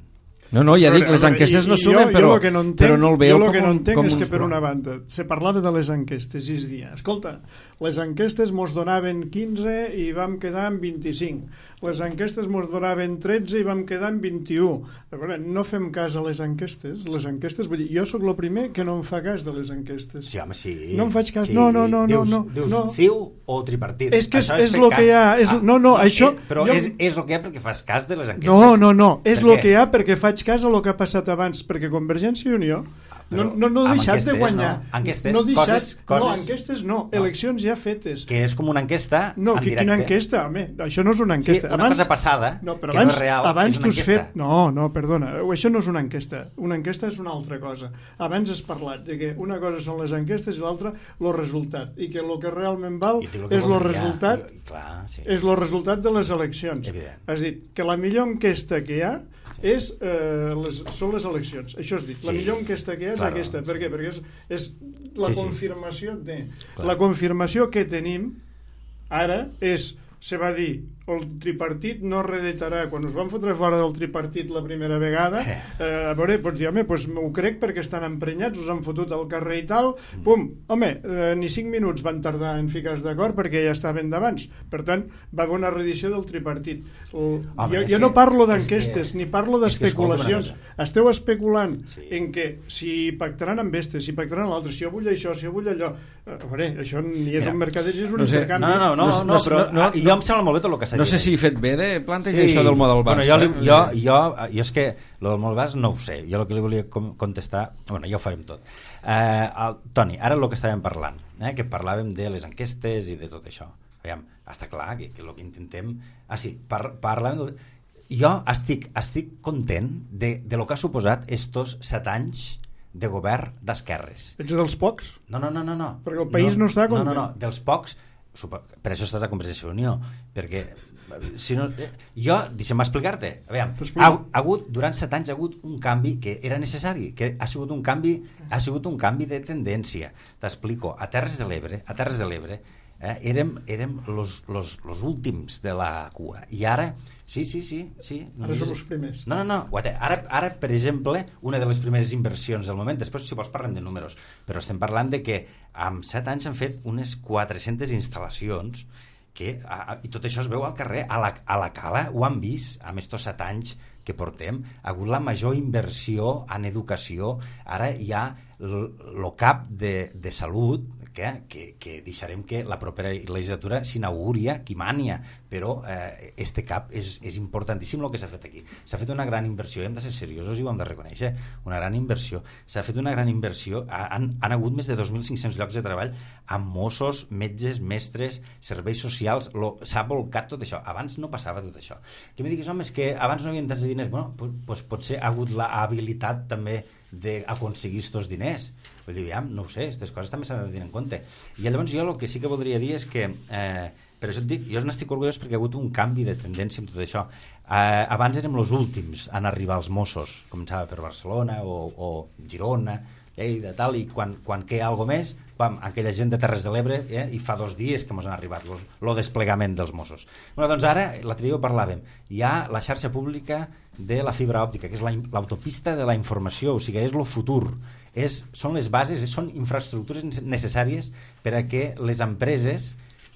No, no, ja dic, les enquestes no sumen, jo, però, jo no entenc, però no el veu jo com, el que no entenc com és uns... que per una banda se parlava de les enquestes i es dia, escolta, les enquestes mos donaven quinze i vam quedar en vint-i-cinc, les enquestes mos donaven tretze i vam quedar en vint-i-u. A veure, no fem cas a les enquestes, les enquestes, vull dir, jo sóc el primer que no em fa cas de les enquestes. Sí, home, sí. No em faig cas, sí. no, no, no. Dius, no, dius no. C I U o tripartit. És que és, és, és el que hi ha, és, ah, no, no, això... Eh, però jo... és, és el que hi ha perquè fas cas de les enquestes. No, no, no, és per el que hi ha perquè faig cas a el que ha passat abans, perquè Convergència i Unió no, no, no deixat de guanyar. No? Enquestes, no deixat, coses, coses... No, enquestes no, no, eleccions ja fetes. Que és com una enquesta no, en que, directe. Quina enquesta, home? Això no és una enquesta. Sí, una abans, cosa passada, no, però que abans, no és real, abans és una enquesta. Fet... No, no, perdona, això no és una enquesta. Una enquesta és una altra cosa. Abans has parlat de que una cosa són les enquestes i l'altra el resultat. I que el que realment val és el resultat, jo, clar, sí. és el resultat de les eleccions. Evident. Has dit que la millor enquesta que hi ha és, eh, les, són les eleccions. Això has dit. La sí. millor enquesta que hi ha és claro, aquesta. Per què? Perquè és, és la sí, confirmació sí. de... Clar. La confirmació que tenim ara és, se va dir, el tripartit no reeditarà. Quan us van fotre fora del tripartit la primera vegada, eh, a veure, pots dir, home, doncs m'ho crec perquè estan emprenyats, us han fotut al carrer i tal, pum, home, eh, ni cinc minuts van tardar en ficar-se d'acord perquè ja estaven d'abans. Per tant, va haver una reedició del tripartit. El, home, jo jo no parlo d'enquestes, ni parlo d'especulacions. Esteu especulant sí. en que si pactaran amb estes, si pactaran l'altre, si jo vull això, si jo vull allò... A veure, això ni és Mira, un mercadeig, és un no sé, intercanvi. No, no, no, no, no, no però no, no, jo em sembla molt bé tot el que s'ha dit. No sé si he fet bé de plantejar sí. això del model basc. Bueno, jo, li, jo, jo, jo és que el del model basc no ho sé. Jo el que li volia contestar... Bueno, ja ho farem tot. Eh, el, Toni, ara el que estàvem parlant, eh, que parlàvem de les enquestes i de tot això. Aviam, està clar que, que el que intentem... Ah, sí, par, parlàvem... De... Jo estic, estic content de, de lo que ha suposat estos set anys de govern d'esquerres. Ets dels pocs? No, no, no, no, no. Perquè el país no, no està content. No, no, no, dels pocs, per això estàs a Convergència i Unió, perquè si no, jo, deixa'm explicar-te, a veure, ha, ha hagut, durant set anys ha hagut un canvi que era necessari, que ha sigut un canvi, ha sigut un canvi de tendència. T'explico, a Terres de l'Ebre, a Terres de l'Ebre, eh, érem, érem los, los, los últims de la cua, i ara sí, sí, sí, sí. Ara som els primers. No, no, no. Ara, ara, per exemple, una de les primeres inversions del moment, després si vols parlem de números, però estem parlant de que en set anys han fet unes quatre-centes instal·lacions que, a, i tot això es veu al carrer, a la, a la Cala ho han vist amb estos set anys que portem, ha hagut la major inversió en educació, ara hi ha el cap de, de salut que, que, que deixarem que la propera legislatura s'inauguria, qui mania, però eh, este cap és, és importantíssim el que s'ha fet aquí. S'ha fet una gran inversió, hem de ser seriosos i ho hem de reconèixer, una gran inversió. S'ha fet una gran inversió, han, han hagut més de dos mil cinc-cents llocs de treball amb Mossos, metges, mestres, serveis socials, s'ha volcat tot això. Abans no passava tot això. Que em diguis, home, és que abans no havien tants diners. Bueno, pues, pues potser ha hagut la habilitat també d'aconseguir aquests diners. Vull dir, ja, no ho sé, aquestes coses també s'han de tenir en compte. I llavors jo el que sí que voldria dir és que, eh, per això et dic, jo n'estic orgullós perquè ha hagut un canvi de tendència en tot això. Eh, abans érem els últims en arribar als Mossos, començava per Barcelona o, o Girona, Lleida, tal, i quan, quan queia alguna més, pam, aquella gent de Terres de l'Ebre, eh, i fa dos dies que ens han arribat el desplegament dels Mossos. Bueno, doncs ara, l'altre dia ho parlàvem, hi ha la xarxa pública de la fibra òptica, que és l'autopista de la informació, o sigui, és el futur, és, són les bases, són infraestructures necessàries per a que les empreses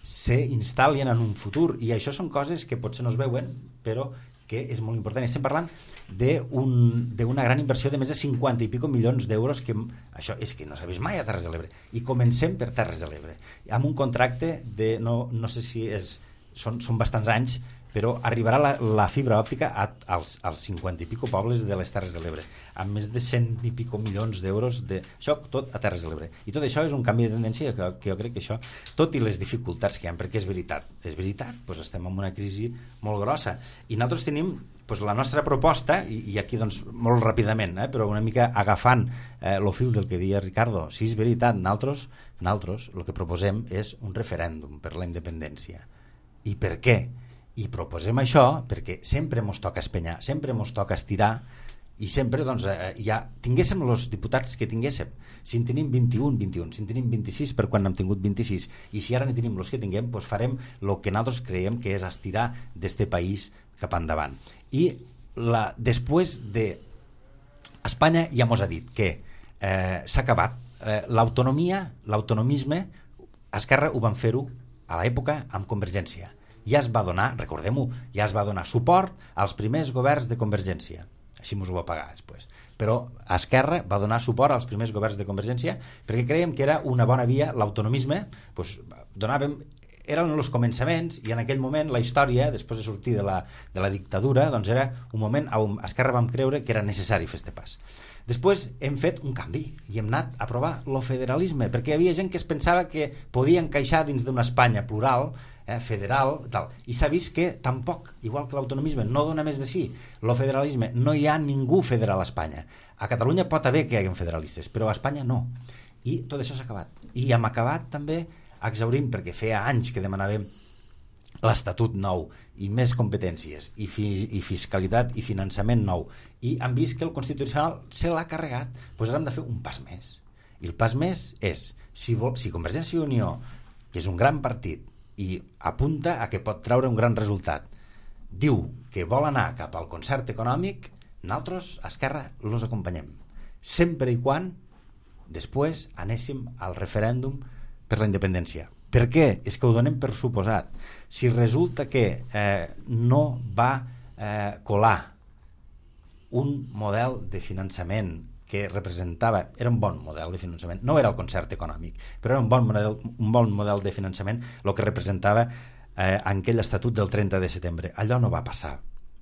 s'instal·lin en un futur, i això són coses que potser no es veuen, però que és molt important. Estem parlant d'una gran inversió de més de cinquanta i pico milions d'euros, que això és que no s'ha vist mai a Terres de l'Ebre, i comencem per Terres de l'Ebre amb un contracte de, no, no sé si és, són, són bastants anys, però arribarà la, la fibra òptica a, als, als cinquanta i pico pobles de les Terres de l'Ebre, amb més de cent i pico milions d'euros de... Això tot a Terres de l'Ebre. I tot això és un canvi de tendència que, que jo crec que això, tot i les dificultats que hi ha, perquè és veritat, és veritat, doncs estem en una crisi molt grossa. I nosaltres tenim doncs, la nostra proposta, i, i aquí doncs, molt ràpidament, eh, però una mica agafant eh, el fil del que deia Ricardo, si és veritat, nosaltres, nosaltres el que proposem és un referèndum per la independència. I per què? I proposem això perquè sempre ens toca espenyar, sempre ens toca estirar, i sempre doncs, eh, ja tinguéssim els diputats que tinguéssim, si en tenim vint-i-un, vint-i-un, si en tenim vint-i-sis per quan n'hem tingut vint-i-sis, i si ara ne tenim els que tinguem, doncs farem el que nosaltres creiem que és estirar d'este país cap endavant. I la, després de Espanya ja mos ha dit que eh, s'ha acabat eh, l'autonomia, l'autonomisme, Esquerra ho van fer-ho a l'època amb Convergència. Ja es va donar, recordem-ho, ja es va donar suport als primers governs de Convergència. Així ens ho va pagar després. Però Esquerra va donar suport als primers governs de Convergència perquè creiem que era una bona via, l'autonomisme, doncs, donàvem eren els començaments, i en aquell moment la història, després de sortir de la, de la dictadura, doncs era un moment on Esquerra vam creure que era necessari fer este pas. Després hem fet un canvi i hem anat a provar el federalisme, perquè hi havia gent que es pensava que podia encaixar dins d'una Espanya plural, eh, federal, tal. I s'ha vist que tampoc, igual que l'autonomisme, no dona més de sí. El federalisme, no hi ha ningú federal a Espanya. A Catalunya pot haver que hi hagi federalistes, però a Espanya no. I tot això s'ha acabat. I hem acabat també exhaurint, perquè feia anys que demanàvem l'Estatut nou i més competències i, fi, i fiscalitat i finançament nou, i han vist que el Constitucional se l'ha carregat. Doncs ara hem de fer un pas més, i el pas més és si, vol, si Convergència i Unió, que és un gran partit i apunta a que pot treure un gran resultat, diu que vol anar cap al concert econòmic, nosaltres a Esquerra els acompanyem, sempre i quan després anéssim al referèndum per la independència. Per què? És que ho donem per suposat. Si resulta que eh, no va eh, colar un model de finançament que representava, era un bon model de finançament, no era el concert econòmic, però era un bon model, un bon model de finançament el que representava eh, aquell estatut del trenta de setembre. Allò no va passar,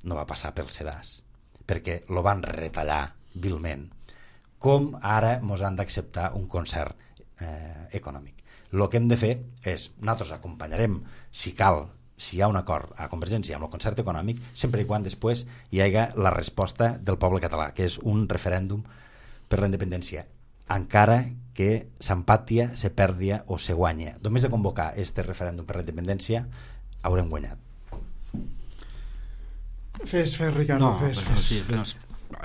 no va passar pel sedàs, perquè lo van retallar vilment, com ara mos han d'acceptar un concert eh, econòmic. El que hem de fer és, nosaltres acompanyarem, si cal, si hi ha un acord a Convergència amb el concert econòmic, sempre i quan després hi hagi la resposta del poble català, que és un referèndum per la independència, encara que s'empatia, se perdia o se guanya. Només de convocar este referèndum per la independència haurem guanyat. Fes, fes, Ricardo, no, fes, però, fes. sí, però,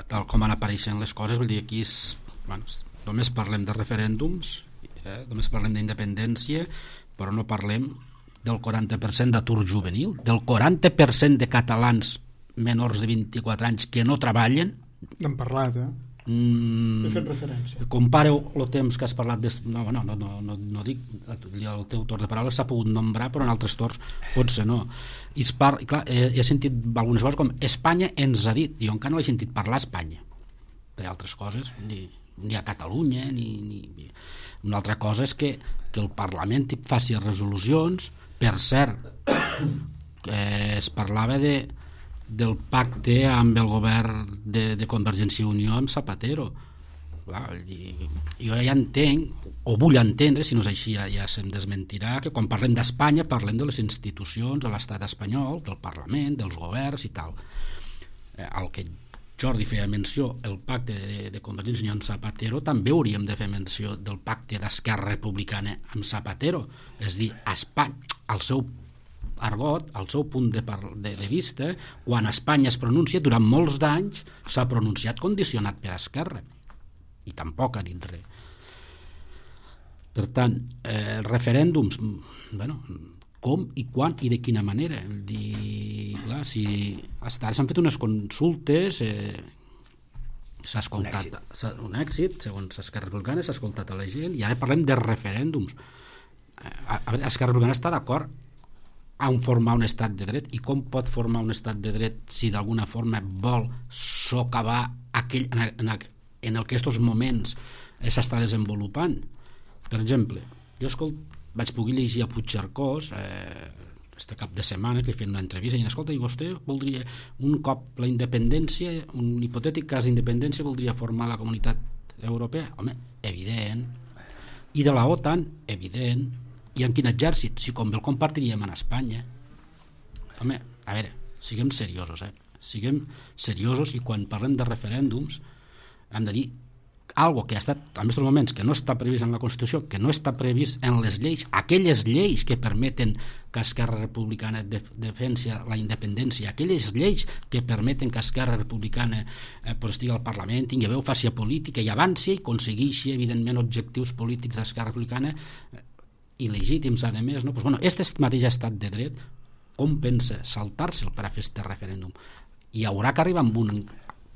tal com han apareixent les coses, vull dir, aquí és, bueno, només parlem de referèndums, eh, només parlem d'independència, però no parlem del quaranta per cent d'atur juvenil, del quaranta per cent de catalans menors de vint-i-quatre anys que no treballen. N'hem parlat, eh? Mm, He fet referència. Compareu el temps que has parlat de, no, no, no, no, no, no dic el teu torn de paraula s'ha pogut nombrar, però en altres torns potser no. I es par, clar, he, he sentit algunes coses com Espanya ens ha dit, jo encara no he sentit parlar a Espanya, per altres coses ni, ni a Catalunya ni, ni... Una altra cosa és que, que el Parlament faci resolucions. Per cert, eh, es parlava de del pacte amb el govern de, de Convergència i Unió amb Zapatero. Clar, jo ja entenc, o vull entendre, si no és així ja, ja se'm desmentirà, que quan parlem d'Espanya parlem de les institucions de l'estat espanyol, del Parlament, dels governs i tal. Eh, el que Jordi feia menció, el pacte de, de Convergència i Unió amb Zapatero, també hauríem de fer menció del pacte d'Esquerra Republicana amb Zapatero. És dir, Espanya, el seu argot, el seu punt de, de, de vista, quan Espanya es pronuncia, durant molts d'anys s'ha pronunciat condicionat per Esquerra i tampoc ha dit res. Per tant, eh, referèndums, bueno, com i quan i de quina manera? Dir, clar, si hasta ara s'han fet unes consultes, eh, s'ha escoltat un èxit. un èxit, segons Esquerra Republicana, s'ha escoltat a la gent, i ara parlem de referèndums. A, a veure, Esquerra Republicana està d'acord a formar un estat de dret, i com pot formar un estat de dret si d'alguna forma vol socavar aquell, en, en, en el que aquests moments s'està desenvolupant. Per exemple, jo escolt, vaig poder llegir a Puigcercós eh, este cap de setmana, que li feien una entrevista i diuen, escolta, i vostè voldria un cop la independència, un hipotètic cas d'independència, voldria formar la comunitat europea? Home, evident. I de la OTAN? Evident. I en quin exèrcit? Si com bé el compartiríem en Espanya. Home, a veure, siguem seriosos, eh? Siguem seriosos, i quan parlem de referèndums hem de dir algo que ha estat, en aquests moments, que no està previst en la Constitució, que no està previst en les lleis, aquelles lleis que permeten que Esquerra Republicana defensi la independència, aquelles lleis que permeten que Esquerra Republicana eh, pues, estigui al Parlament, tingui veu, faci política i avanci i aconsegueixi, evidentment, objectius polítics d'Esquerra Republicana eh, il·legítims, a més, no? Pues, bueno, aquest mateix estat de dret, com pensa saltar-se'l per a fer aquest referèndum? Hi haurà que arribar amb un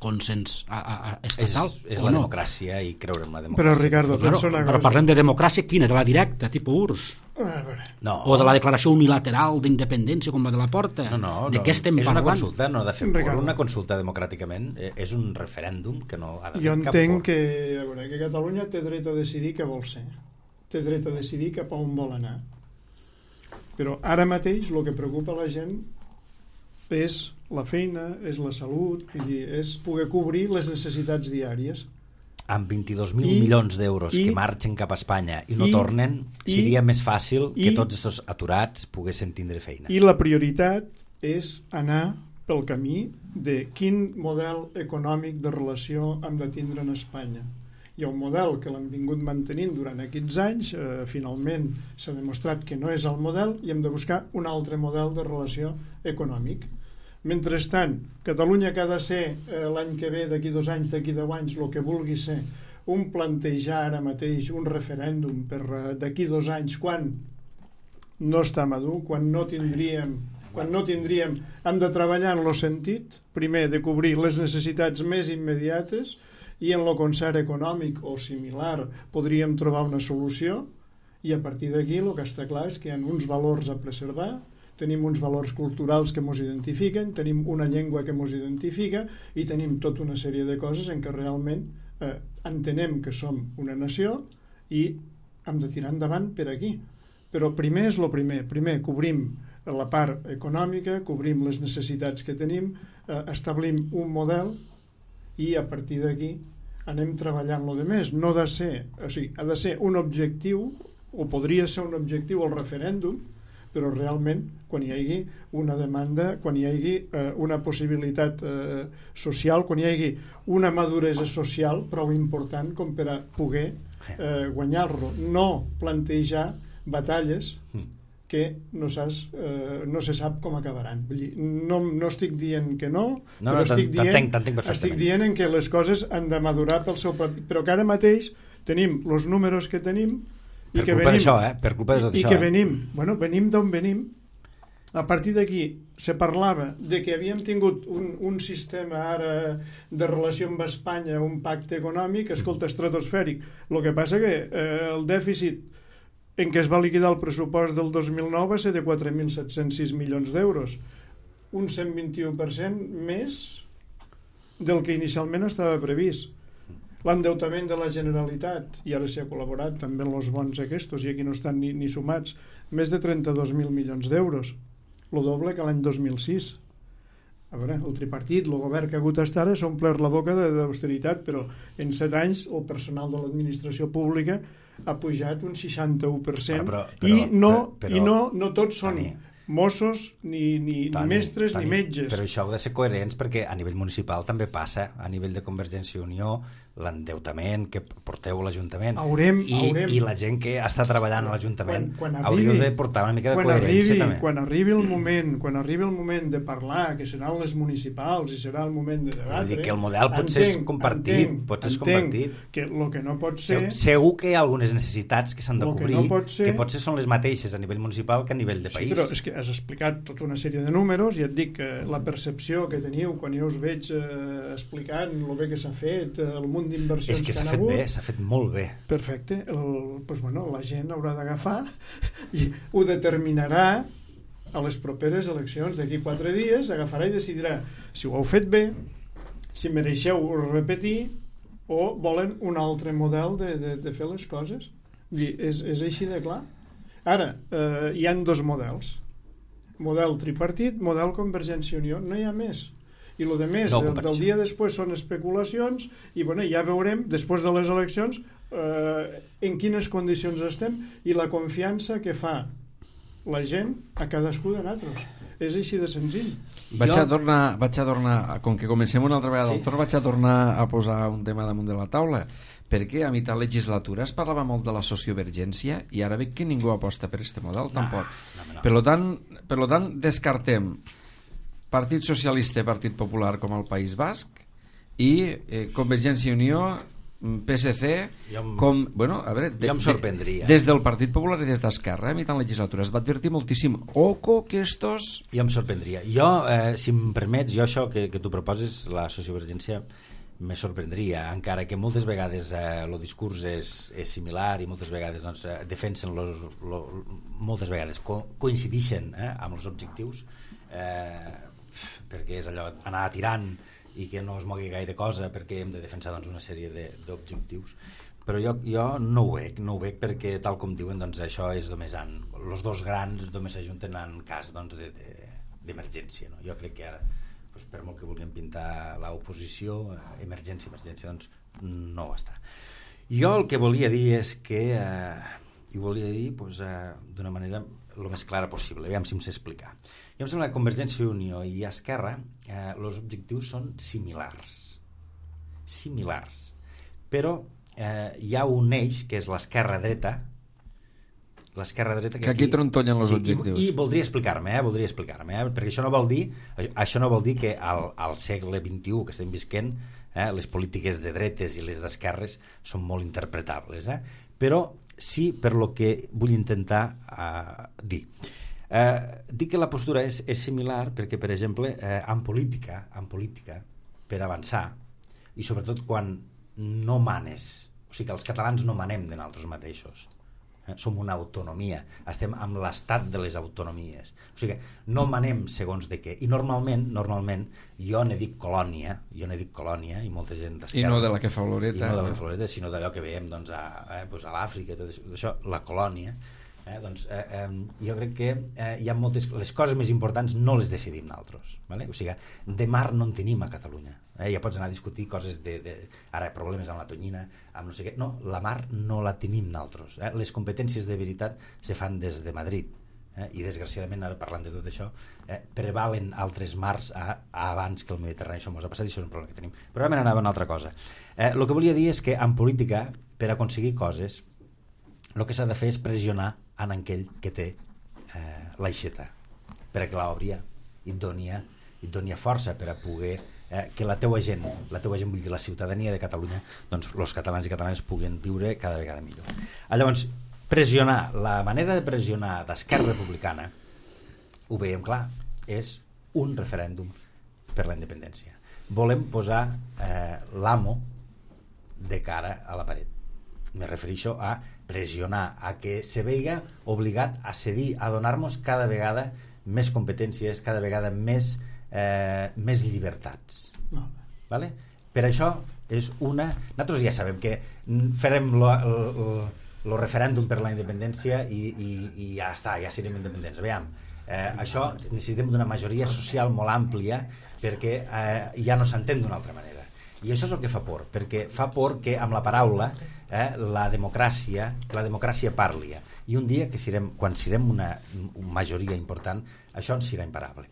consens a, a, a estatal? És, és o la no? democràcia, i creure en la democràcia. Però, Ricardo, Claro, pensa una però cosa. parlem de democràcia quina? De la directa, tipus U R S S? A veure. No. O de la declaració unilateral d'independència com la de la Porta? No, no, de no. què estem és una parlant? consulta, no ha de fer Ricardo. una consulta democràticament, eh, és un referèndum que no ha de fer Jo cap entenc por. que, a veure, que Catalunya té dret a decidir què vol ser, té dret a decidir cap a on vol anar. Però ara mateix el que preocupa la gent és la feina, és la salut, és poder cobrir les necessitats diàries. Amb vint-i-dos mil milions d'euros que marxen cap a Espanya i no i, tornen, seria i, més fàcil que i, tots aquests aturats poguessin tindre feina. I la prioritat és anar pel camí de quin model econòmic de relació hem de tindre en Espanya. Hi ha un model que l'hem vingut mantenint durant aquests anys, eh, finalment s'ha demostrat que no és el model i hem de buscar un altre model de relació econòmic. Mentrestant, Catalunya que ha de ser eh, l'any que ve, d'aquí dos anys, d'aquí deu anys, el que vulgui ser, un plantejar ara mateix un referèndum per eh, d'aquí dos anys, quan no està madur, quan no tindríem, quan no tindríem, hem de treballar en el sentit, primer, de cobrir les necessitats més immediates i en el concert econòmic o similar podríem trobar una solució i a partir d'aquí el que està clar és que hi ha uns valors a preservar, tenim uns valors culturals que ens identifiquen, tenim una llengua que ens identifica i tenim tota una sèrie de coses en què realment eh, entenem que som una nació i hem de tirar endavant per aquí. Però primer és el primer. Primer cobrim la part econòmica, cobrim les necessitats que tenim, eh, establim un model i a partir d'aquí anem treballant lo de més. No ha de ser, o sigui, ha de ser un objectiu, o podria ser un objectiu el referèndum, però realment quan hi hagi una demanda, quan hi hagi eh, una possibilitat eh, social, quan hi hagi una maduresa social prou important com per a poder eh, guanyar-lo. No plantejar batalles que no, saps, eh, no se sap com acabaran. Vull dir, no, no estic dient que no, no, però no estic, dient, estic dient en que les coses han de madurar pel seu propi... Però que ara mateix tenim els números que tenim i per que culpa venim, d'això, eh? Per culpa i, d'això, i que eh? venim, bueno, venim d'on venim. A partir d'aquí se parlava de que havíem tingut un, un sistema ara de relació amb Espanya, un pacte econòmic, escolta, estratosfèric. El que passa que eh, el dèficit en què es va liquidar el pressupost del dos mil nou va ser de quatre mil set-cents sis milions d'euros, un cent vint-i-u per cent més del que inicialment estava previst. L'endeutament de la Generalitat, i ara s'hi ha col·laborat també en els bons aquests, i aquí no estan ni, ni sumats, més de trenta-dos mil milions d'euros, el doble que l'any dos mil sis. A veure, el tripartit, el govern que ha hagut estar s'ha omplert la boca d'austeritat, però en set anys el personal de l'administració pública ha pujat un seixanta-u per cent, però, però, i, no, però, i no, no tots són Toni, Mossos, ni, ni, Toni, ni mestres, Toni, ni metges. Però això heu de ser coherents perquè a nivell municipal també passa, a nivell de Convergència i Unió, l'endeutament que porteu a l'Ajuntament haurem, i, haurem. i la gent que està treballant a l'Ajuntament hauríeu de portar una mica de quan coherència arribi, també. Quan arribi el moment quan arribi el moment de parlar, que seran les municipals i serà el moment de debatre, dir que el model pot ser compartit, entenc, pot ser entenc compartit. Que el que no pot ser... Segur que hi ha algunes necessitats que s'han de cobrir, que, no pot ser, que potser són les mateixes a nivell municipal que a nivell de país. Sí, però és que has explicat tota una sèrie de números i et dic que la percepció que teniu quan jo us veig eh, explicant el bé que s'ha fet, el munt d'inversions que s'ha fet bé, s'ha fet molt bé. Perfecte. El, pues bueno, la gent haurà d'agafar i ho determinarà a les properes eleccions d'aquí quatre dies, agafarà i decidirà si ho heu fet bé, si mereixeu repetir o volen un altre model de, de, de fer les coses. I és, és així de clar. Ara, eh, hi han dos models. Model tripartit, model Convergència i Unió. No hi ha més. I el de més, no, del, del dia després són especulacions i bueno, ja veurem després de les eleccions eh, en quines condicions estem i la confiança que fa la gent a cadascú de nosaltres. És així de senzill. Vaig jo... a tornar, vaig a tornar, com que comencem una altra vegada sí. Doctor, vaig a tornar a posar un tema damunt de la taula, perquè a mitjà legislatura es parlava molt de la sociovergència i ara veig que ningú aposta per aquest model, no, tampoc. No, no, no. Per lo tant, per lo tant descartem Partit Socialista i Partit Popular com al País Basc i eh, Convergència i Unió, P S C em, com, bueno, a veure, de, em sorprendria. De, des del Partit Popular i des d'Esquerra a mitjà legislatura es va advertir moltíssim oco que estos... Jo em sorprendria. Jo, eh, si em permets, jo això que, que tu proposes, la sociovergència, me sorprendria, encara que moltes vegades el eh, discurs és, és similar i moltes vegades doncs, eh, defensen los, lo, moltes vegades co coincidixen eh, amb els objectius eh, perquè és allò anar tirant i que no es mogui gaire cosa perquè hem de defensar doncs, una sèrie d'objectius, però jo, jo no ho veig, no ho veig perquè, tal com diuen, doncs això és només en... Els dos grans només s'ajunten en cas doncs, de, de, d'emergència. No? Jo crec que ara, doncs, per molt que vulguem pintar l'oposició, emergència, emergència, doncs no va estar. Jo el que volia dir és que, eh, i volia dir doncs, eh, d'una manera el més clara possible, aviam si em sé explicar. Jo em sembla que Convergència i Unió i Esquerra, eh, els objectius són similars. Similars. Però eh, hi ha un eix que és l'esquerra dreta, l'esquerra dreta que, que aquí, aquí trontollen els sí, objectius. I, i voldria explicar-me, eh, voldria explicar-me, eh, perquè això no vol dir, això no vol dir que al, al segle vint-i-u que estem visquent, eh, les polítiques de dretes i les d'esquerres són molt interpretables, eh? Però sí per lo que vull intentar eh, dir. Eh, dic que la postura és, és similar perquè, per exemple, eh, en política, en política, per avançar, i sobretot quan no manes, o sigui que els catalans no manem de nosaltres mateixos, eh? Som una autonomia, estem amb l'estat de les autonomies, o sigui que no manem segons de què, i normalment normalment jo n'he dit colònia, jo n'he dit colònia, i molta gent d'esquerra, i no de la que fa Oloreta, i no de la que fa Oloreta, sinó d'allò que veiem doncs, a, eh, doncs a l'Àfrica, tot això, la colònia. Eh, doncs, eh, eh, jo crec que eh, hi ha moltes, les coses més importants no les decidim nosaltres, vale? O sigui, de mar no en tenim a Catalunya, eh? Ja pots anar a discutir coses de, de ara problemes amb la tonyina, amb no sé què, no, la mar no la tenim nosaltres, eh? Les competències de veritat se fan des de Madrid, eh? I desgraciadament ara parlant de tot això eh, prevalen altres mars a, a abans que el Mediterrani, això ens ha passat i això és un problema que tenim, però realment anava a una altra cosa. Eh, el que volia dir és que en política, per aconseguir coses, el que s'ha de fer és pressionar en aquell que té eh, l'aixeta perquè l'obria i et donia, et donia força per a poder eh, que la teua gent, la teua gent vull dir la ciutadania de Catalunya, doncs els catalans i catalanes puguen viure cada vegada millor. Llavors, pressionar, la manera de pressionar d'Esquerra Republicana, ho veiem clar, és un referèndum per la independència. Volem posar eh, l'amo de cara a la paret. Me refereixo a pressionar, a que se veiga obligat a cedir, a donar-nos cada vegada més competències, cada vegada més, eh, més llibertats. No. Vale? Per això és una... Nosaltres ja sabem que farem el referèndum per la independència i, i, i ja està, ja serem independents. Veiem, eh, això necessitem d'una majoria social molt àmplia perquè eh, ja no s'entén d'una altra manera. I això és el que fa por, perquè fa por que amb la paraula eh, la democràcia, que la democràcia parli. I un dia, que serem, quan serem una, una majoria important, això ens serà imparable.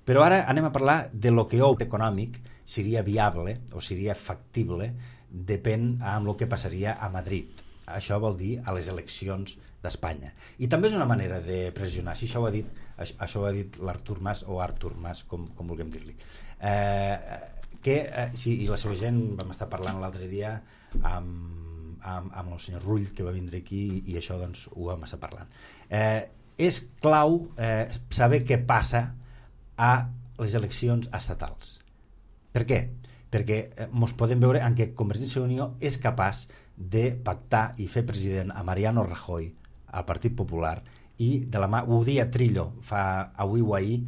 Però ara anem a parlar de lo que econòmic seria viable o seria factible, depèn amb el que passaria a Madrid. Això vol dir a les eleccions d'Espanya. I també és una manera de pressionar, si això ho ha dit, això ho ha dit l'Artur Mas o Artur Mas, com, com vulguem dir-li. Eh... que, eh, sí, i la seva gent vam estar parlant l'altre dia amb, amb, amb el senyor Rull que va vindre aquí i, i això doncs ho vam estar parlant. Eh, és clau eh, saber què passa a les eleccions estatals. Per què? Perquè eh, mos podem veure en què Convergència i Unió és capaç de pactar i fer president a Mariano Rajoy al Partit Popular i de la mà, ho dia Trillo fa avui o ahir,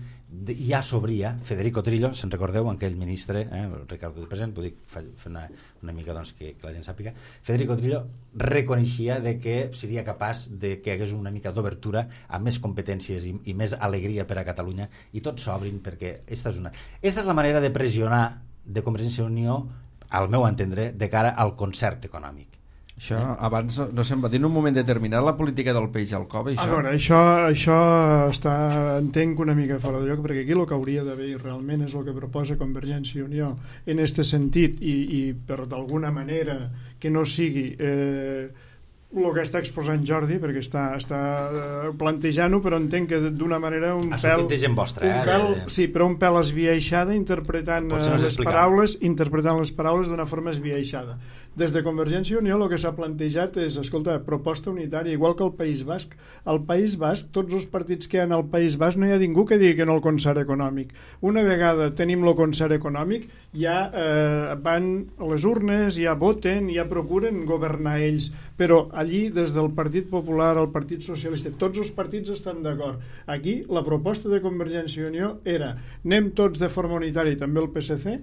ja s'obria Federico Trillo, se'n recordeu, aquell ministre, eh, Ricardo de present, vull dir, fer una, una mica doncs, que, que la gent sàpiga, Federico Trillo reconeixia de que seria capaç de que hagués una mica d'obertura amb més competències i, i més alegria per a Catalunya i tots s'obrin perquè esta és una... Esta és la manera de pressionar de Convergència i Unió, al meu entendre, de cara al concert econòmic. Això abans no se'n va dir en un moment determinat la política del peix al cove, això? A veure, això, això està, entenc una mica fora de lloc, perquè aquí el que hauria d'haver realment és el que proposa Convergència i Unió en aquest sentit i, i per d'alguna manera que no sigui eh, el que està exposant Jordi, perquè està, està plantejant-ho, però entenc que d'una manera un ha pèl... de gent vostra, un eh? pèl, sí, però un pèl esbiaixada interpretant no les explicar. paraules interpretant les paraules d'una forma esbiaixada. Des de Convergència i Unió el que s'ha plantejat és, escolta, proposta unitària, igual que el País Basc. Al País Basc, tots els partits que hi ha al País Basc, no hi ha ningú que digui que no el concert econòmic. Una vegada tenim el concert econòmic, ja eh, van a les urnes, ja voten, ja procuren governar ells, però allí, des del Partit Popular al Partit Socialista, tots els partits estan d'acord. Aquí, la proposta de Convergència i Unió era, anem tots de forma unitària, i també el P S C,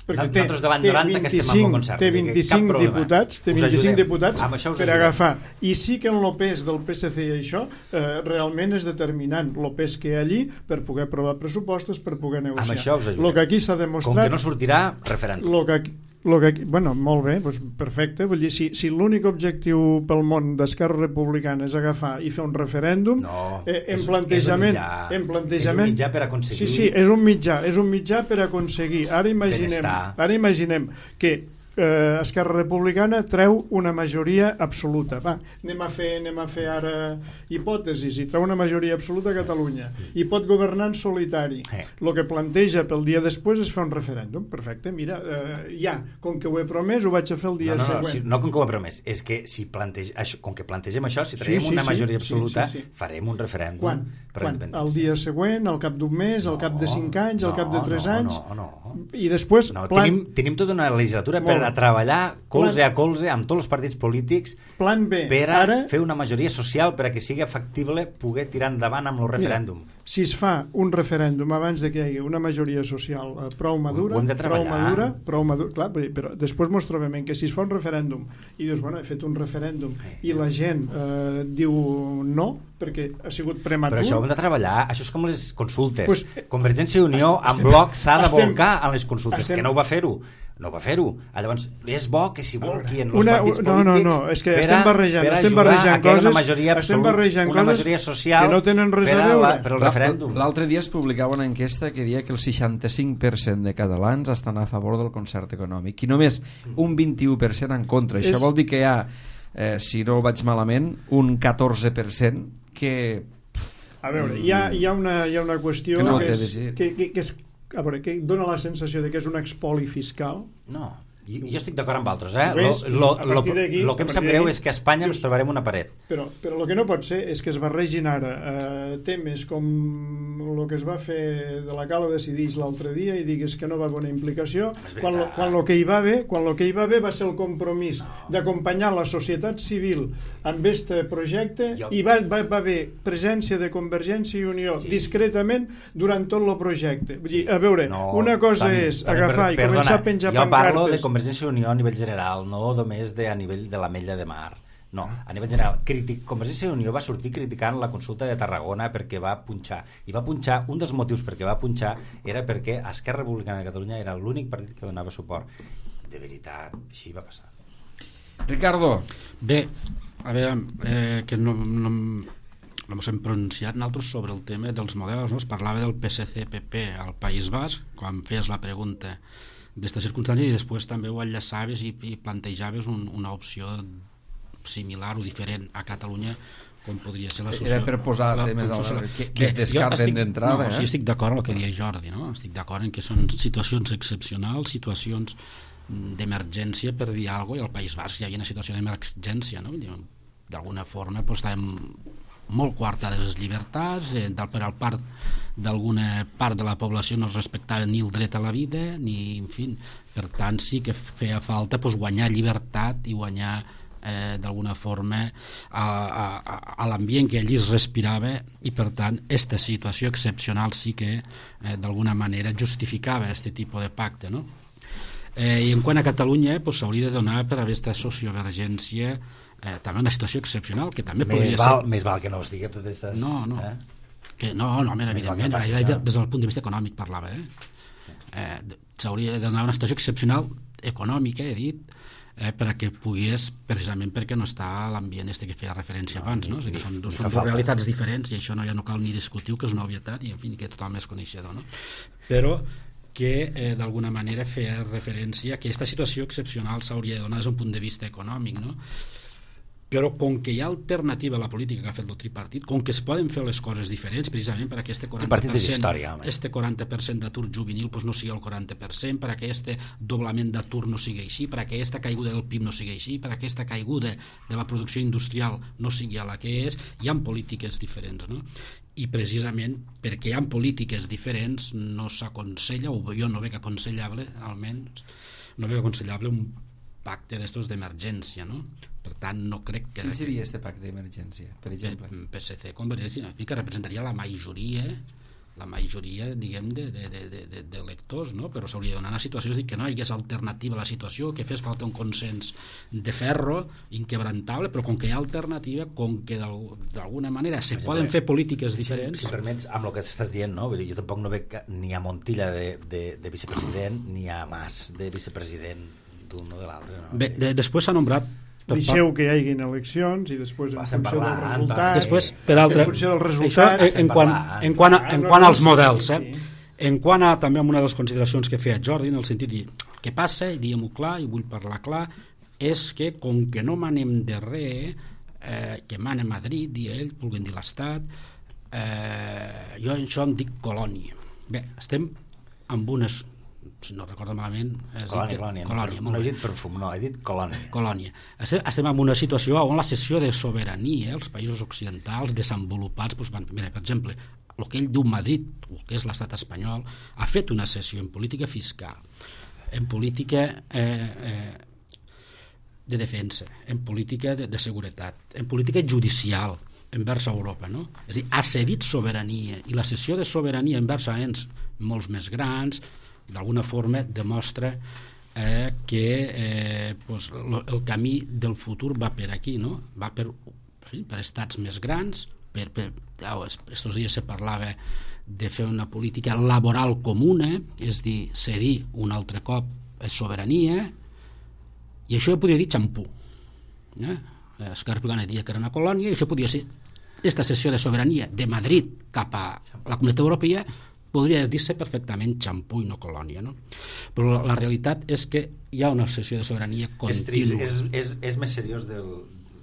perquè té, nosaltres de l'any té noranta que estem amb el concert, té vint-i-cinc diputats, té vint-i-cinc diputats per agafar, i sí que en el pes del P S C i això eh, realment és determinant el pes que hi ha allí per poder aprovar pressupostos, per poder negociar. Amb això us ajudem. Lo que aquí s'ha demostrat, com que no sortirà referèndum. Lo que aquí, lo que aquí, bueno, molt bé, doncs perfecte. Vull dir, si, si l'únic objectiu pel món d'Esquerra Republicana és agafar i fer un referèndum, no, eh, en és, plantejament, és, un en plantejament, és un mitjà per aconseguir... Sí, sí, és un mitjà, és un mitjà per aconseguir. Ara imaginem, ara imaginem que eh, Esquerra Republicana treu una majoria absoluta. Va, anem a fer, anem a fer ara hipòtesis, i treu una majoria absoluta a Catalunya i pot governar en solitari. El eh. que planteja pel dia després és fer un referèndum. Perfecte, mira, eh, ja, com que ho he promès, ho vaig a fer el dia no, no, següent. No, si, no com que ho he promès, és que si planteja, això, com que plantegem això, si traiem sí, sí, una majoria sí, absoluta, sí, sí, sí. farem un referèndum. Quan? Quan? El dia següent, al cap d'un mes, no, al cap de cinc anys, no, al cap de tres no, anys, no, no. i després... No, plan... tenim, tenim tota una legislatura per a treballar colze plan... a colze amb tots els partits polítics plan B, per a ara... fer una majoria social per a que sigui factible poder tirar endavant amb el referèndum. Mira, si es fa un referèndum abans de que hi hagi una majoria social eh, prou madura, prou madura, prou madura, clar, però després mos trobem que si es fa un referèndum i dius, bueno, he fet un referèndum i la gent eh, diu no, perquè ha sigut prematur... Però això ho hem de treballar, això és com les consultes. Pues, Convergència i Unió en bloc s'ha de volcar en les consultes, estem, que no ho va fer-ho. No va fer-ho. Llavors, és bo que s'hi volquien els una, partits no, polítics no, no, és que per, estem barrejant, per estem ajudar barrejant a que hi hagi coses, una majoria absoluta, barrejant una majoria social que no tenen res per, a veure. La, per al referèndum. L'altre dia es publicava una enquesta que deia que el seixanta-cinc per cent de catalans estan a favor del concert econòmic i només un vint-i-u per cent en contra. Això és... vol dir que hi ha, eh, si no vaig malament, un catorze per cent que... A veure, hi ha, hi ha, una, hi ha una qüestió que, no que, és, que, que, que, és, a veure, que dona la sensació de que és un expoli fiscal. No, jo, jo estic d'acord amb altres, eh? Ves, lo, lo, lo, lo que em sap greu és que a Espanya ens trobarem una paret. Però, però el que no pot ser és que es barregin ara eh, temes com el que es va fer de la Cala Decidix l'altre dia i digues que no va haver una implicació, quan lo, quan lo que hi va haver, quan lo que hi va haver va ser el compromís no. d'acompanyar la societat civil amb aquest projecte jo... i va, va, va haver presència de Convergència i Unió sí. discretament durant tot el projecte. Vull dir, a veure, no, una cosa també, és també, agafar per, i començar perdona, a penjar jo pancartes. Parlo de Convergència i Unió a nivell general, no només de, a nivell de l'Ametlla de Mar. No, a nivell general. Critic, Convergència i Unió va sortir criticant la consulta de Tarragona perquè va punxar. I va punxar, un dels motius perquè va punxar era perquè Esquerra Republicana de Catalunya era l'únic partit que donava suport. De veritat, així va passar. Ricardo. Bé, a veure, eh, que no... no no ens hem pronunciat nosaltres sobre el tema dels models, no? Es parlava del P S C P P al País Basc quan feies la pregunta d'esta circumstància i després també ho enllaçaves i, i plantejaves un, una opció similar o diferent a Catalunya com podria ser la societat. Era per posar la, temes la, la, que, que es descarten d'entrada. No, eh? sí, estic d'acord amb el que deia Jordi, no? Estic d'acord en que són situacions excepcionals, situacions d'emergència per dir alguna cosa, i al País Basc hi havia una situació d'emergència, no? D'alguna forma pues, estàvem molt coartades les llibertats, eh, per al part d'alguna part de la població no es respectava ni el dret a la vida, ni, en fi, per tant sí que feia falta pues, guanyar llibertat i guanyar eh, d'alguna forma a, a, a l'ambient que allí es respirava i per tant aquesta situació excepcional sí que eh, d'alguna manera justificava aquest tipus de pacte, no? Eh, i en quant a Catalunya s'hauria pues, de donar per a aquesta sociovergència eh, també una situació excepcional que també més podria val, ser... Més val que no es digui totes aquestes... No, no, eh? que, no, no home, evidentment, passi, des del punt de vista econòmic parlava, eh? Eh, s'hauria de donar una situació excepcional econòmica, he dit, eh, per a que pogués, precisament perquè no està l'ambient este que feia referència no, abans, no? O sigui, que són, dos, són dues realitats diferents i això no, ja no cal ni discutir, que és una obvietat i en fi, que tothom és coneixedor, no? Però que eh, d'alguna manera feia referència a que aquesta situació excepcional s'hauria de donar des d'un punt de vista econòmic, no? Però com que hi ha alternativa a la política que ha fet el tripartit, com que es poden fer les coses diferents, precisament per a aquest quaranta per cent, història, este quaranta per cent d'atur juvenil pues, no sigui el quaranta per cent, per a que este doblament d'atur no sigui així, per a que aquesta caiguda del P I B no sigui així, per a que aquesta caiguda de la producció industrial no sigui a la que és, hi ha polítiques diferents, no? I precisament perquè hi ha polítiques diferents no s'aconsella, o jo no veig aconsellable, almenys, no veig aconsellable un pacte d'estos d'emergència, no? Per tant, no crec que... Quin seria este pacte d'emergència, per exemple? P S C, Convergència, que representaria la majoria la majoria, diguem, de, de, de, de, de lectors, no? Però s'hauria de donar una situació, és dir, que no hi hagués alternativa a la situació, que fes falta un consens de ferro inquebrantable, però com que hi ha alternativa, com que d'alguna manera se exemple, poden fer polítiques diferents... Si, si permets, amb el que estàs dient, no? Vull dir, jo tampoc no veig ni a Montilla de, de, de vicepresident ni a Mas de vicepresident d'un o de l'altre. No? Bé, de, després s'ha nombrat... Deixeu que hi haguin eleccions i després en Estem funció parlant, del resultat, després, per altre, en funció del resultat, això, en, en, quant, en, quant a, en quant als models, eh? Sí. En quant a també amb una de les consideracions que feia Jordi, en el sentit de dir, el que passa, i diguem-ho clar, i vull parlar clar, és que com que no manem de res, eh, que mana Madrid, i ell, vulguem dir l'Estat, eh, jo això em dic colònia. Bé, estem amb unes, si no recordo malament... Colònia, colònia, colònia no, no he dit perfum, no, he dit colònia. Colònia. Estem, estem en una situació on la cessió de sobirania, els països occidentals desenvolupats, doncs, van, mira, per exemple, el que ell diu Madrid, el que és l'estat espanyol, ha fet una cessió en política fiscal, en política eh, eh, de defensa, en política de, de seguretat, en política judicial envers Europa, no? És a dir, ha cedit sobirania, i la cessió de sobirania envers a ens molts més grans, d'alguna forma demostra eh, que eh, pues, lo, el camí del futur va per aquí, no? Va per, per estats més grans, per, per, oh, estos dies se parlava de fer una política laboral comuna, és dir, cedir un altre cop sobirania, i això jo podria dir xampú. Eh? Esquerra Republicana deia que era una colònia, i això podria ser aquesta cessió de sobirania de Madrid cap a la Comunitat Europea, podria dir-se perfectament xampú i no colònia, no? Però la, la realitat és que hi ha una cessió de sobirania contínua. És, és, és, és més seriós del...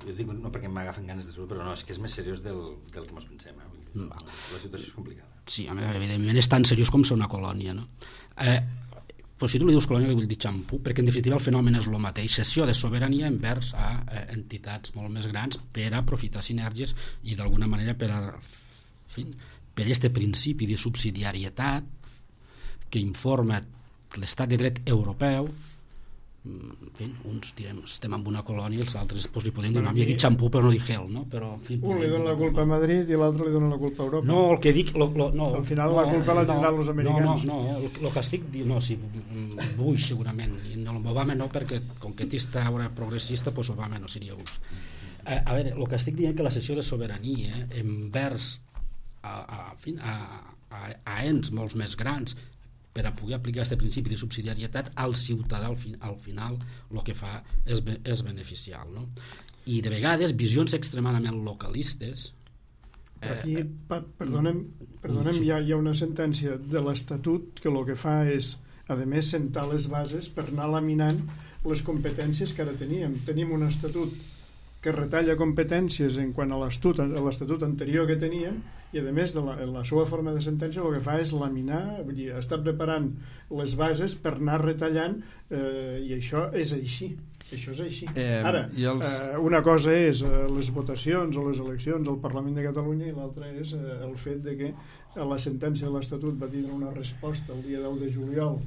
Jo dic no perquè m'agafen ganes de dir-ho, però no, és que és més seriós del, del que ens pensem. Eh? La situació és complicada. Sí, evidentment és tan seriós com ser una colònia, no? Eh, però si tu li dius colònia li vull dir xampú, perquè en definitiva el fenomen és el mateix, cessió de sobirania envers a eh, entitats molt més grans per a aprofitar sinergies i d'alguna manera per a... En fi, per aquest principi de subsidiarietat que informa l'estat de dret europeu. En fi, uns direm estem en una colònia i els altres pues, li podem dir, no, m'hi he dit xampú però no dic gel, no? Però, en fi, un li dona la culpa a Madrid i l'altre li dona la culpa a Europa. No, el que dic... Lo, lo, no, al final no, la culpa la tindran no, els americans. No, no, no, el, el que estic dient, no, sí, Bush segurament, i no, Obama no, perquè com que està ara progressista, pues Obama no seria Bush. A, a veure, el que estic dient que la cessió de sobirania envers A, a, a, a, a ens molts més grans per a poder aplicar aquest principi de subsidiarietat al ciutadà al, fi, al final el que fa és, és beneficiar, no? I de vegades visions extremadament localistes eh, aquí, pa, perdonem, perdonem sí. hi, ha, hi ha una sentència de l'Estatut que el que fa és a més sentar les bases per anar laminant les competències que ara teníem. Tenim un estatut que retalla competències en quant a l'estatut anterior que tenia i a més de la, la seva forma de sentència el que fa és laminar, vull dir, està preparant les bases per anar retallant eh, i això és així això és així. Eh, Ara, els... eh, una cosa és eh, les votacions o les eleccions al Parlament de Catalunya i l'altra és eh, el fet de que la sentència de l'Estatut va tindre una resposta el dia deu de juliol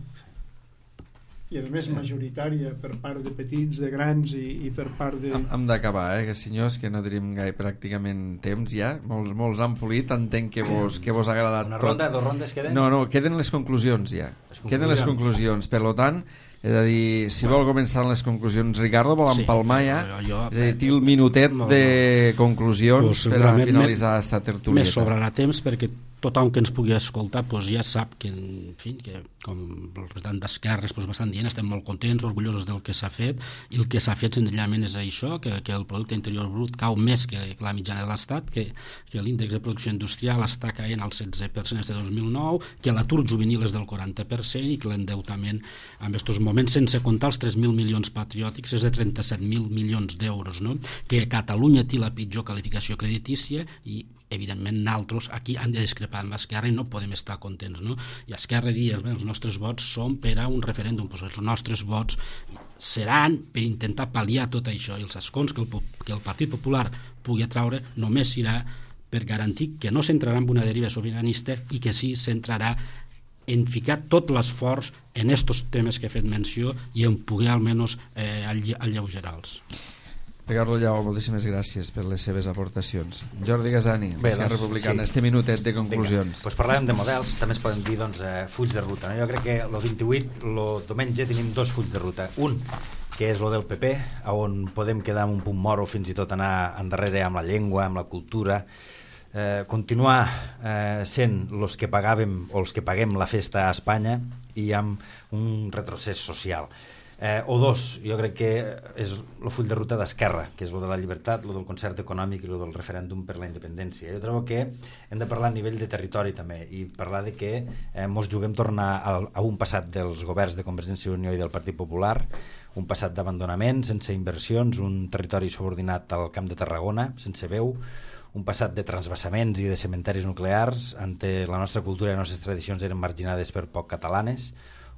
i a més majoritària per part de petits, de grans i, i per part de... Hem, hem d'acabar, eh, que senyors, que no tenim gaire pràcticament temps ja, molts, molts han polit, entenc que vos, que vos ha agradat una tot. ronda, dos rondes queden? No, no, queden les conclusions ja, les conclusions. queden les conclusions, per tant, és a dir, si vol començar amb les conclusions, Ricardo, vol empalmar ja, sí, jo, jo, és a dir, té el minutet no, no. de conclusions pues, per a finalitzar aquesta tertúlia. Més sobrarà temps perquè tothom que ens pugui escoltar pues, ja sap que, en fi, que com el representant d'Esquerres pues, bastant dient, estem molt contents, orgullosos del que s'ha fet i el que s'ha fet senzillament és això, que, que el producte interior brut cau més que, que la mitjana de l'Estat, que, que l'índex de producció industrial està caient al setze per cent des de dos mil nou, que l'atur juvenil és del quaranta per cent i que l'endeutament en aquests moments, sense comptar els tres mil milions patriòtics, és de trenta-set mil milions d'euros, no? Que Catalunya té la pitjor qualificació creditícia i evidentment nosaltres aquí han de discrepar amb Esquerra i no podem estar contents, no? I Esquerra diu, els nostres vots són per a un referèndum, doncs els nostres vots seran per intentar pal·liar tot això i els escons que el, que el Partit Popular pugui atraure només serà per garantir que no s'entrarà en una deriva sobiranista i que sí s'entrarà en ficar tot l'esforç en estos temes que he fet menció i en poder almenys eh, alleugerar-los. Ricardo Lleó, moltíssimes gràcies per les seves aportacions. Jordi Gasani, Bé, Esquerra doncs, Republicana, sí. este minutet de conclusions. Doncs parlàvem de models, també es poden dir doncs, eh, fulls de ruta. No? Jo crec que el vint-i-vuit, el diumenge, tenim dos fulls de ruta. Un, que és el del P P, on podem quedar en un punt mort o fins i tot anar endarrere amb la llengua, amb la cultura, eh, continuar eh, sent els que pagàvem o els que paguem la festa a Espanya i amb un retrocés social. Eh, o dos, jo crec que és el full de ruta d'Esquerra, que és el de la llibertat, el del concert econòmic i el del referèndum per la independència. Jo trobo que hem de parlar a nivell de territori també i parlar de que eh, mos juguem tornar a, a un passat dels governs de Convergència i Unió i del Partit Popular, un passat d'abandonament, sense inversions, un territori subordinat al Camp de Tarragona, sense veu, un passat de transvasaments i de cementaris nuclears, ante la nostra cultura i les nostres tradicions eren marginades per poc catalanes,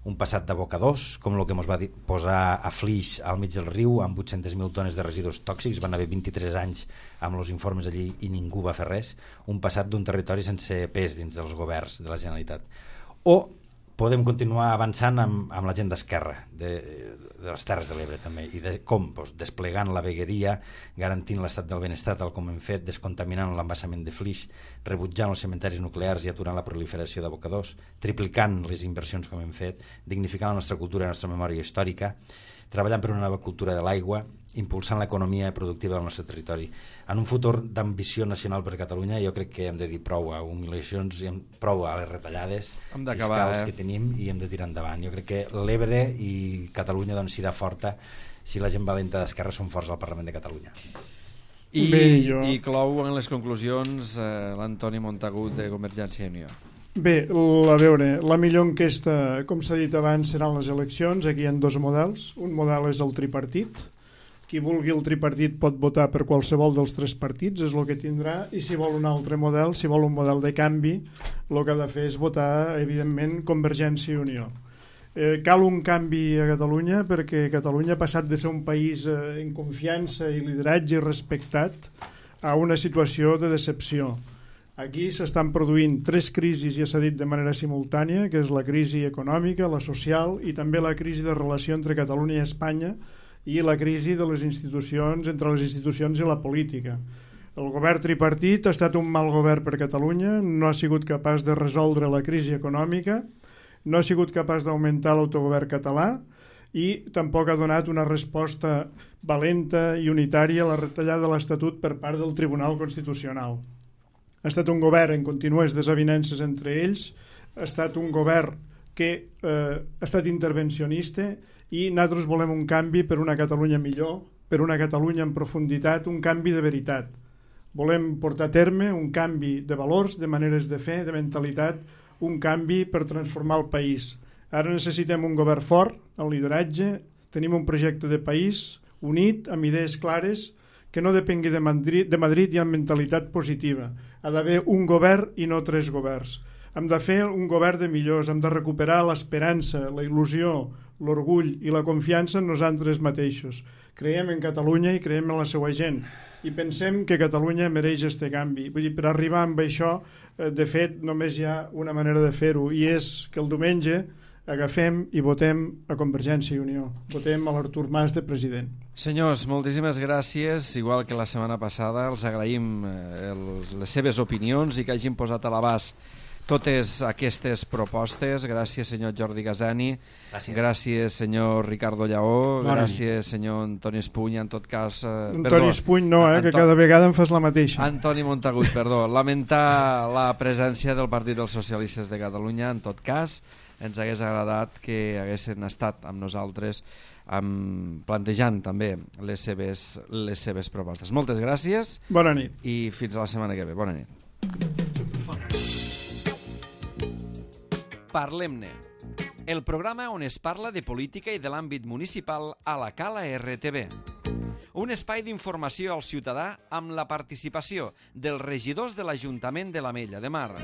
un passat d'abocadors, com el que ens va posar a Flix al mig del riu amb vuit-centes mil tones de residus tòxics, van haver vint-i-tres anys amb els informes allí i ningú va fer res, un passat d'un territori sense pes dins dels governs de la Generalitat. O podem continuar avançant amb, amb la gent d'Esquerra, de, de les Terres de l'Ebre també, i de com doncs, desplegant la vegueria, garantint l'estat del benestar tal com hem fet, descontaminant l'embassament de Flix, rebutjant els cementaris nuclears i aturant la proliferació d'abocadors, triplicant les inversions com hem fet, dignificant la nostra cultura i la nostra memòria històrica, treballant per una nova cultura de l'aigua, impulsant l'economia productiva del nostre territori. En un futur d'ambició nacional per Catalunya jo crec que hem de dir prou a humiliacions i prou a les retallades fiscals eh? que tenim i hem de tirar endavant. Jo crec que l'Ebre i Catalunya doncs, serà forta si la gent valenta d'Esquerra són forts al Parlament de Catalunya. I, Bé, jo... i clou en les conclusions eh, l'Antoni Montagut de Convergència i Unió. Bé, a veure, la millor enquesta, com s'ha dit abans, seran les eleccions. Aquí hi ha dos models. Un model és el tripartit. Qui vulgui el tripartit pot votar per qualsevol dels tres partits, és el que tindrà, i si vol un altre model, si vol un model de canvi, el que ha de fer és votar, evidentment, Convergència i Unió. Eh, cal un canvi a Catalunya perquè Catalunya ha passat de ser un país eh, en confiança i lideratge respectat a una situació de decepció. Aquí s'estan produint tres crisis, ja s'ha dit de manera simultània, que és la crisi econòmica, la social i també la crisi de relació entre Catalunya i Espanya i la crisi de les institucions, entre les institucions i la política. El govern tripartit ha estat un mal govern per Catalunya, no ha sigut capaç de resoldre la crisi econòmica, no ha sigut capaç d'augmentar l'autogovern català i tampoc ha donat una resposta valenta i unitària a la retallada de l'Estatut per part del Tribunal Constitucional. Ha estat un govern en contínues desavinences entre ells, ha estat un govern que eh, ha estat intervencionista i nosaltres volem un canvi per una Catalunya millor, per una Catalunya en profunditat, un canvi de veritat. Volem portar a terme un canvi de valors, de maneres de fer, de mentalitat, un canvi per transformar el país. Ara necessitem un govern fort, el lideratge, tenim un projecte de país unit, amb idees clares, que no depengui de Madrid, de Madrid i amb mentalitat positiva. Ha d'haver un govern i no tres governs. Hem de fer un govern de millors, hem de recuperar l'esperança, la il·lusió, l'orgull i la confiança en nosaltres mateixos. Creiem en Catalunya i creiem en la seva gent i pensem que Catalunya mereix este canvi. Vull dir, per arribar amb això, de fet, només hi ha una manera de fer-ho i és que el diumenge agafem i votem a Convergència i Unió. Votem a l'Artur Mas de president. Senyors, moltíssimes gràcies. Igual que la setmana passada, els agraïm els, les seves opinions i que hagin posat a l'abast totes aquestes propostes. Gràcies, senyor Jordi Gasani. Gràcies. Gràcies, senyor Ricardo Lleó. Bona gràcies, nit. senyor Antoni Espuny. En tot cas... Eh, Antoni perdó, Espuny no, eh, Anto... que cada vegada em fas la mateixa. Antoni Montagut, perdó. Lamentar la presència del Partit dels Socialistes de Catalunya. En tot cas, ens hagués agradat que haguessin estat amb nosaltres amb, plantejant també les seves, les seves propostes. Moltes gràcies. Bona nit. I fins a la setmana que ve. Bona nit. Parlem-ne, el programa on es parla de política i de l'àmbit municipal a la Cala R T V. Un espai d'informació al ciutadà amb la participació dels regidors de l'Ajuntament de l'Ametlla de Mar.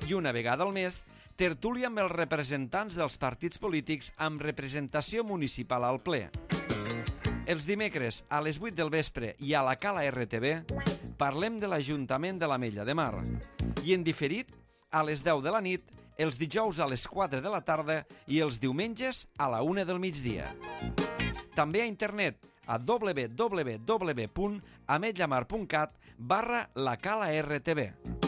I una vegada al mes, tertúlia amb els representants dels partits polítics amb representació municipal al ple. Els dimecres a les vuit del vespre i a la Cala R T V parlem de l'Ajuntament de l'Ametlla de Mar i en diferit a les deu de la nit, els dijous a les quatre de la tarda i els diumenges a la una del migdia. També a internet a w w w punt ametlllamar punt cat barra la cala R T B.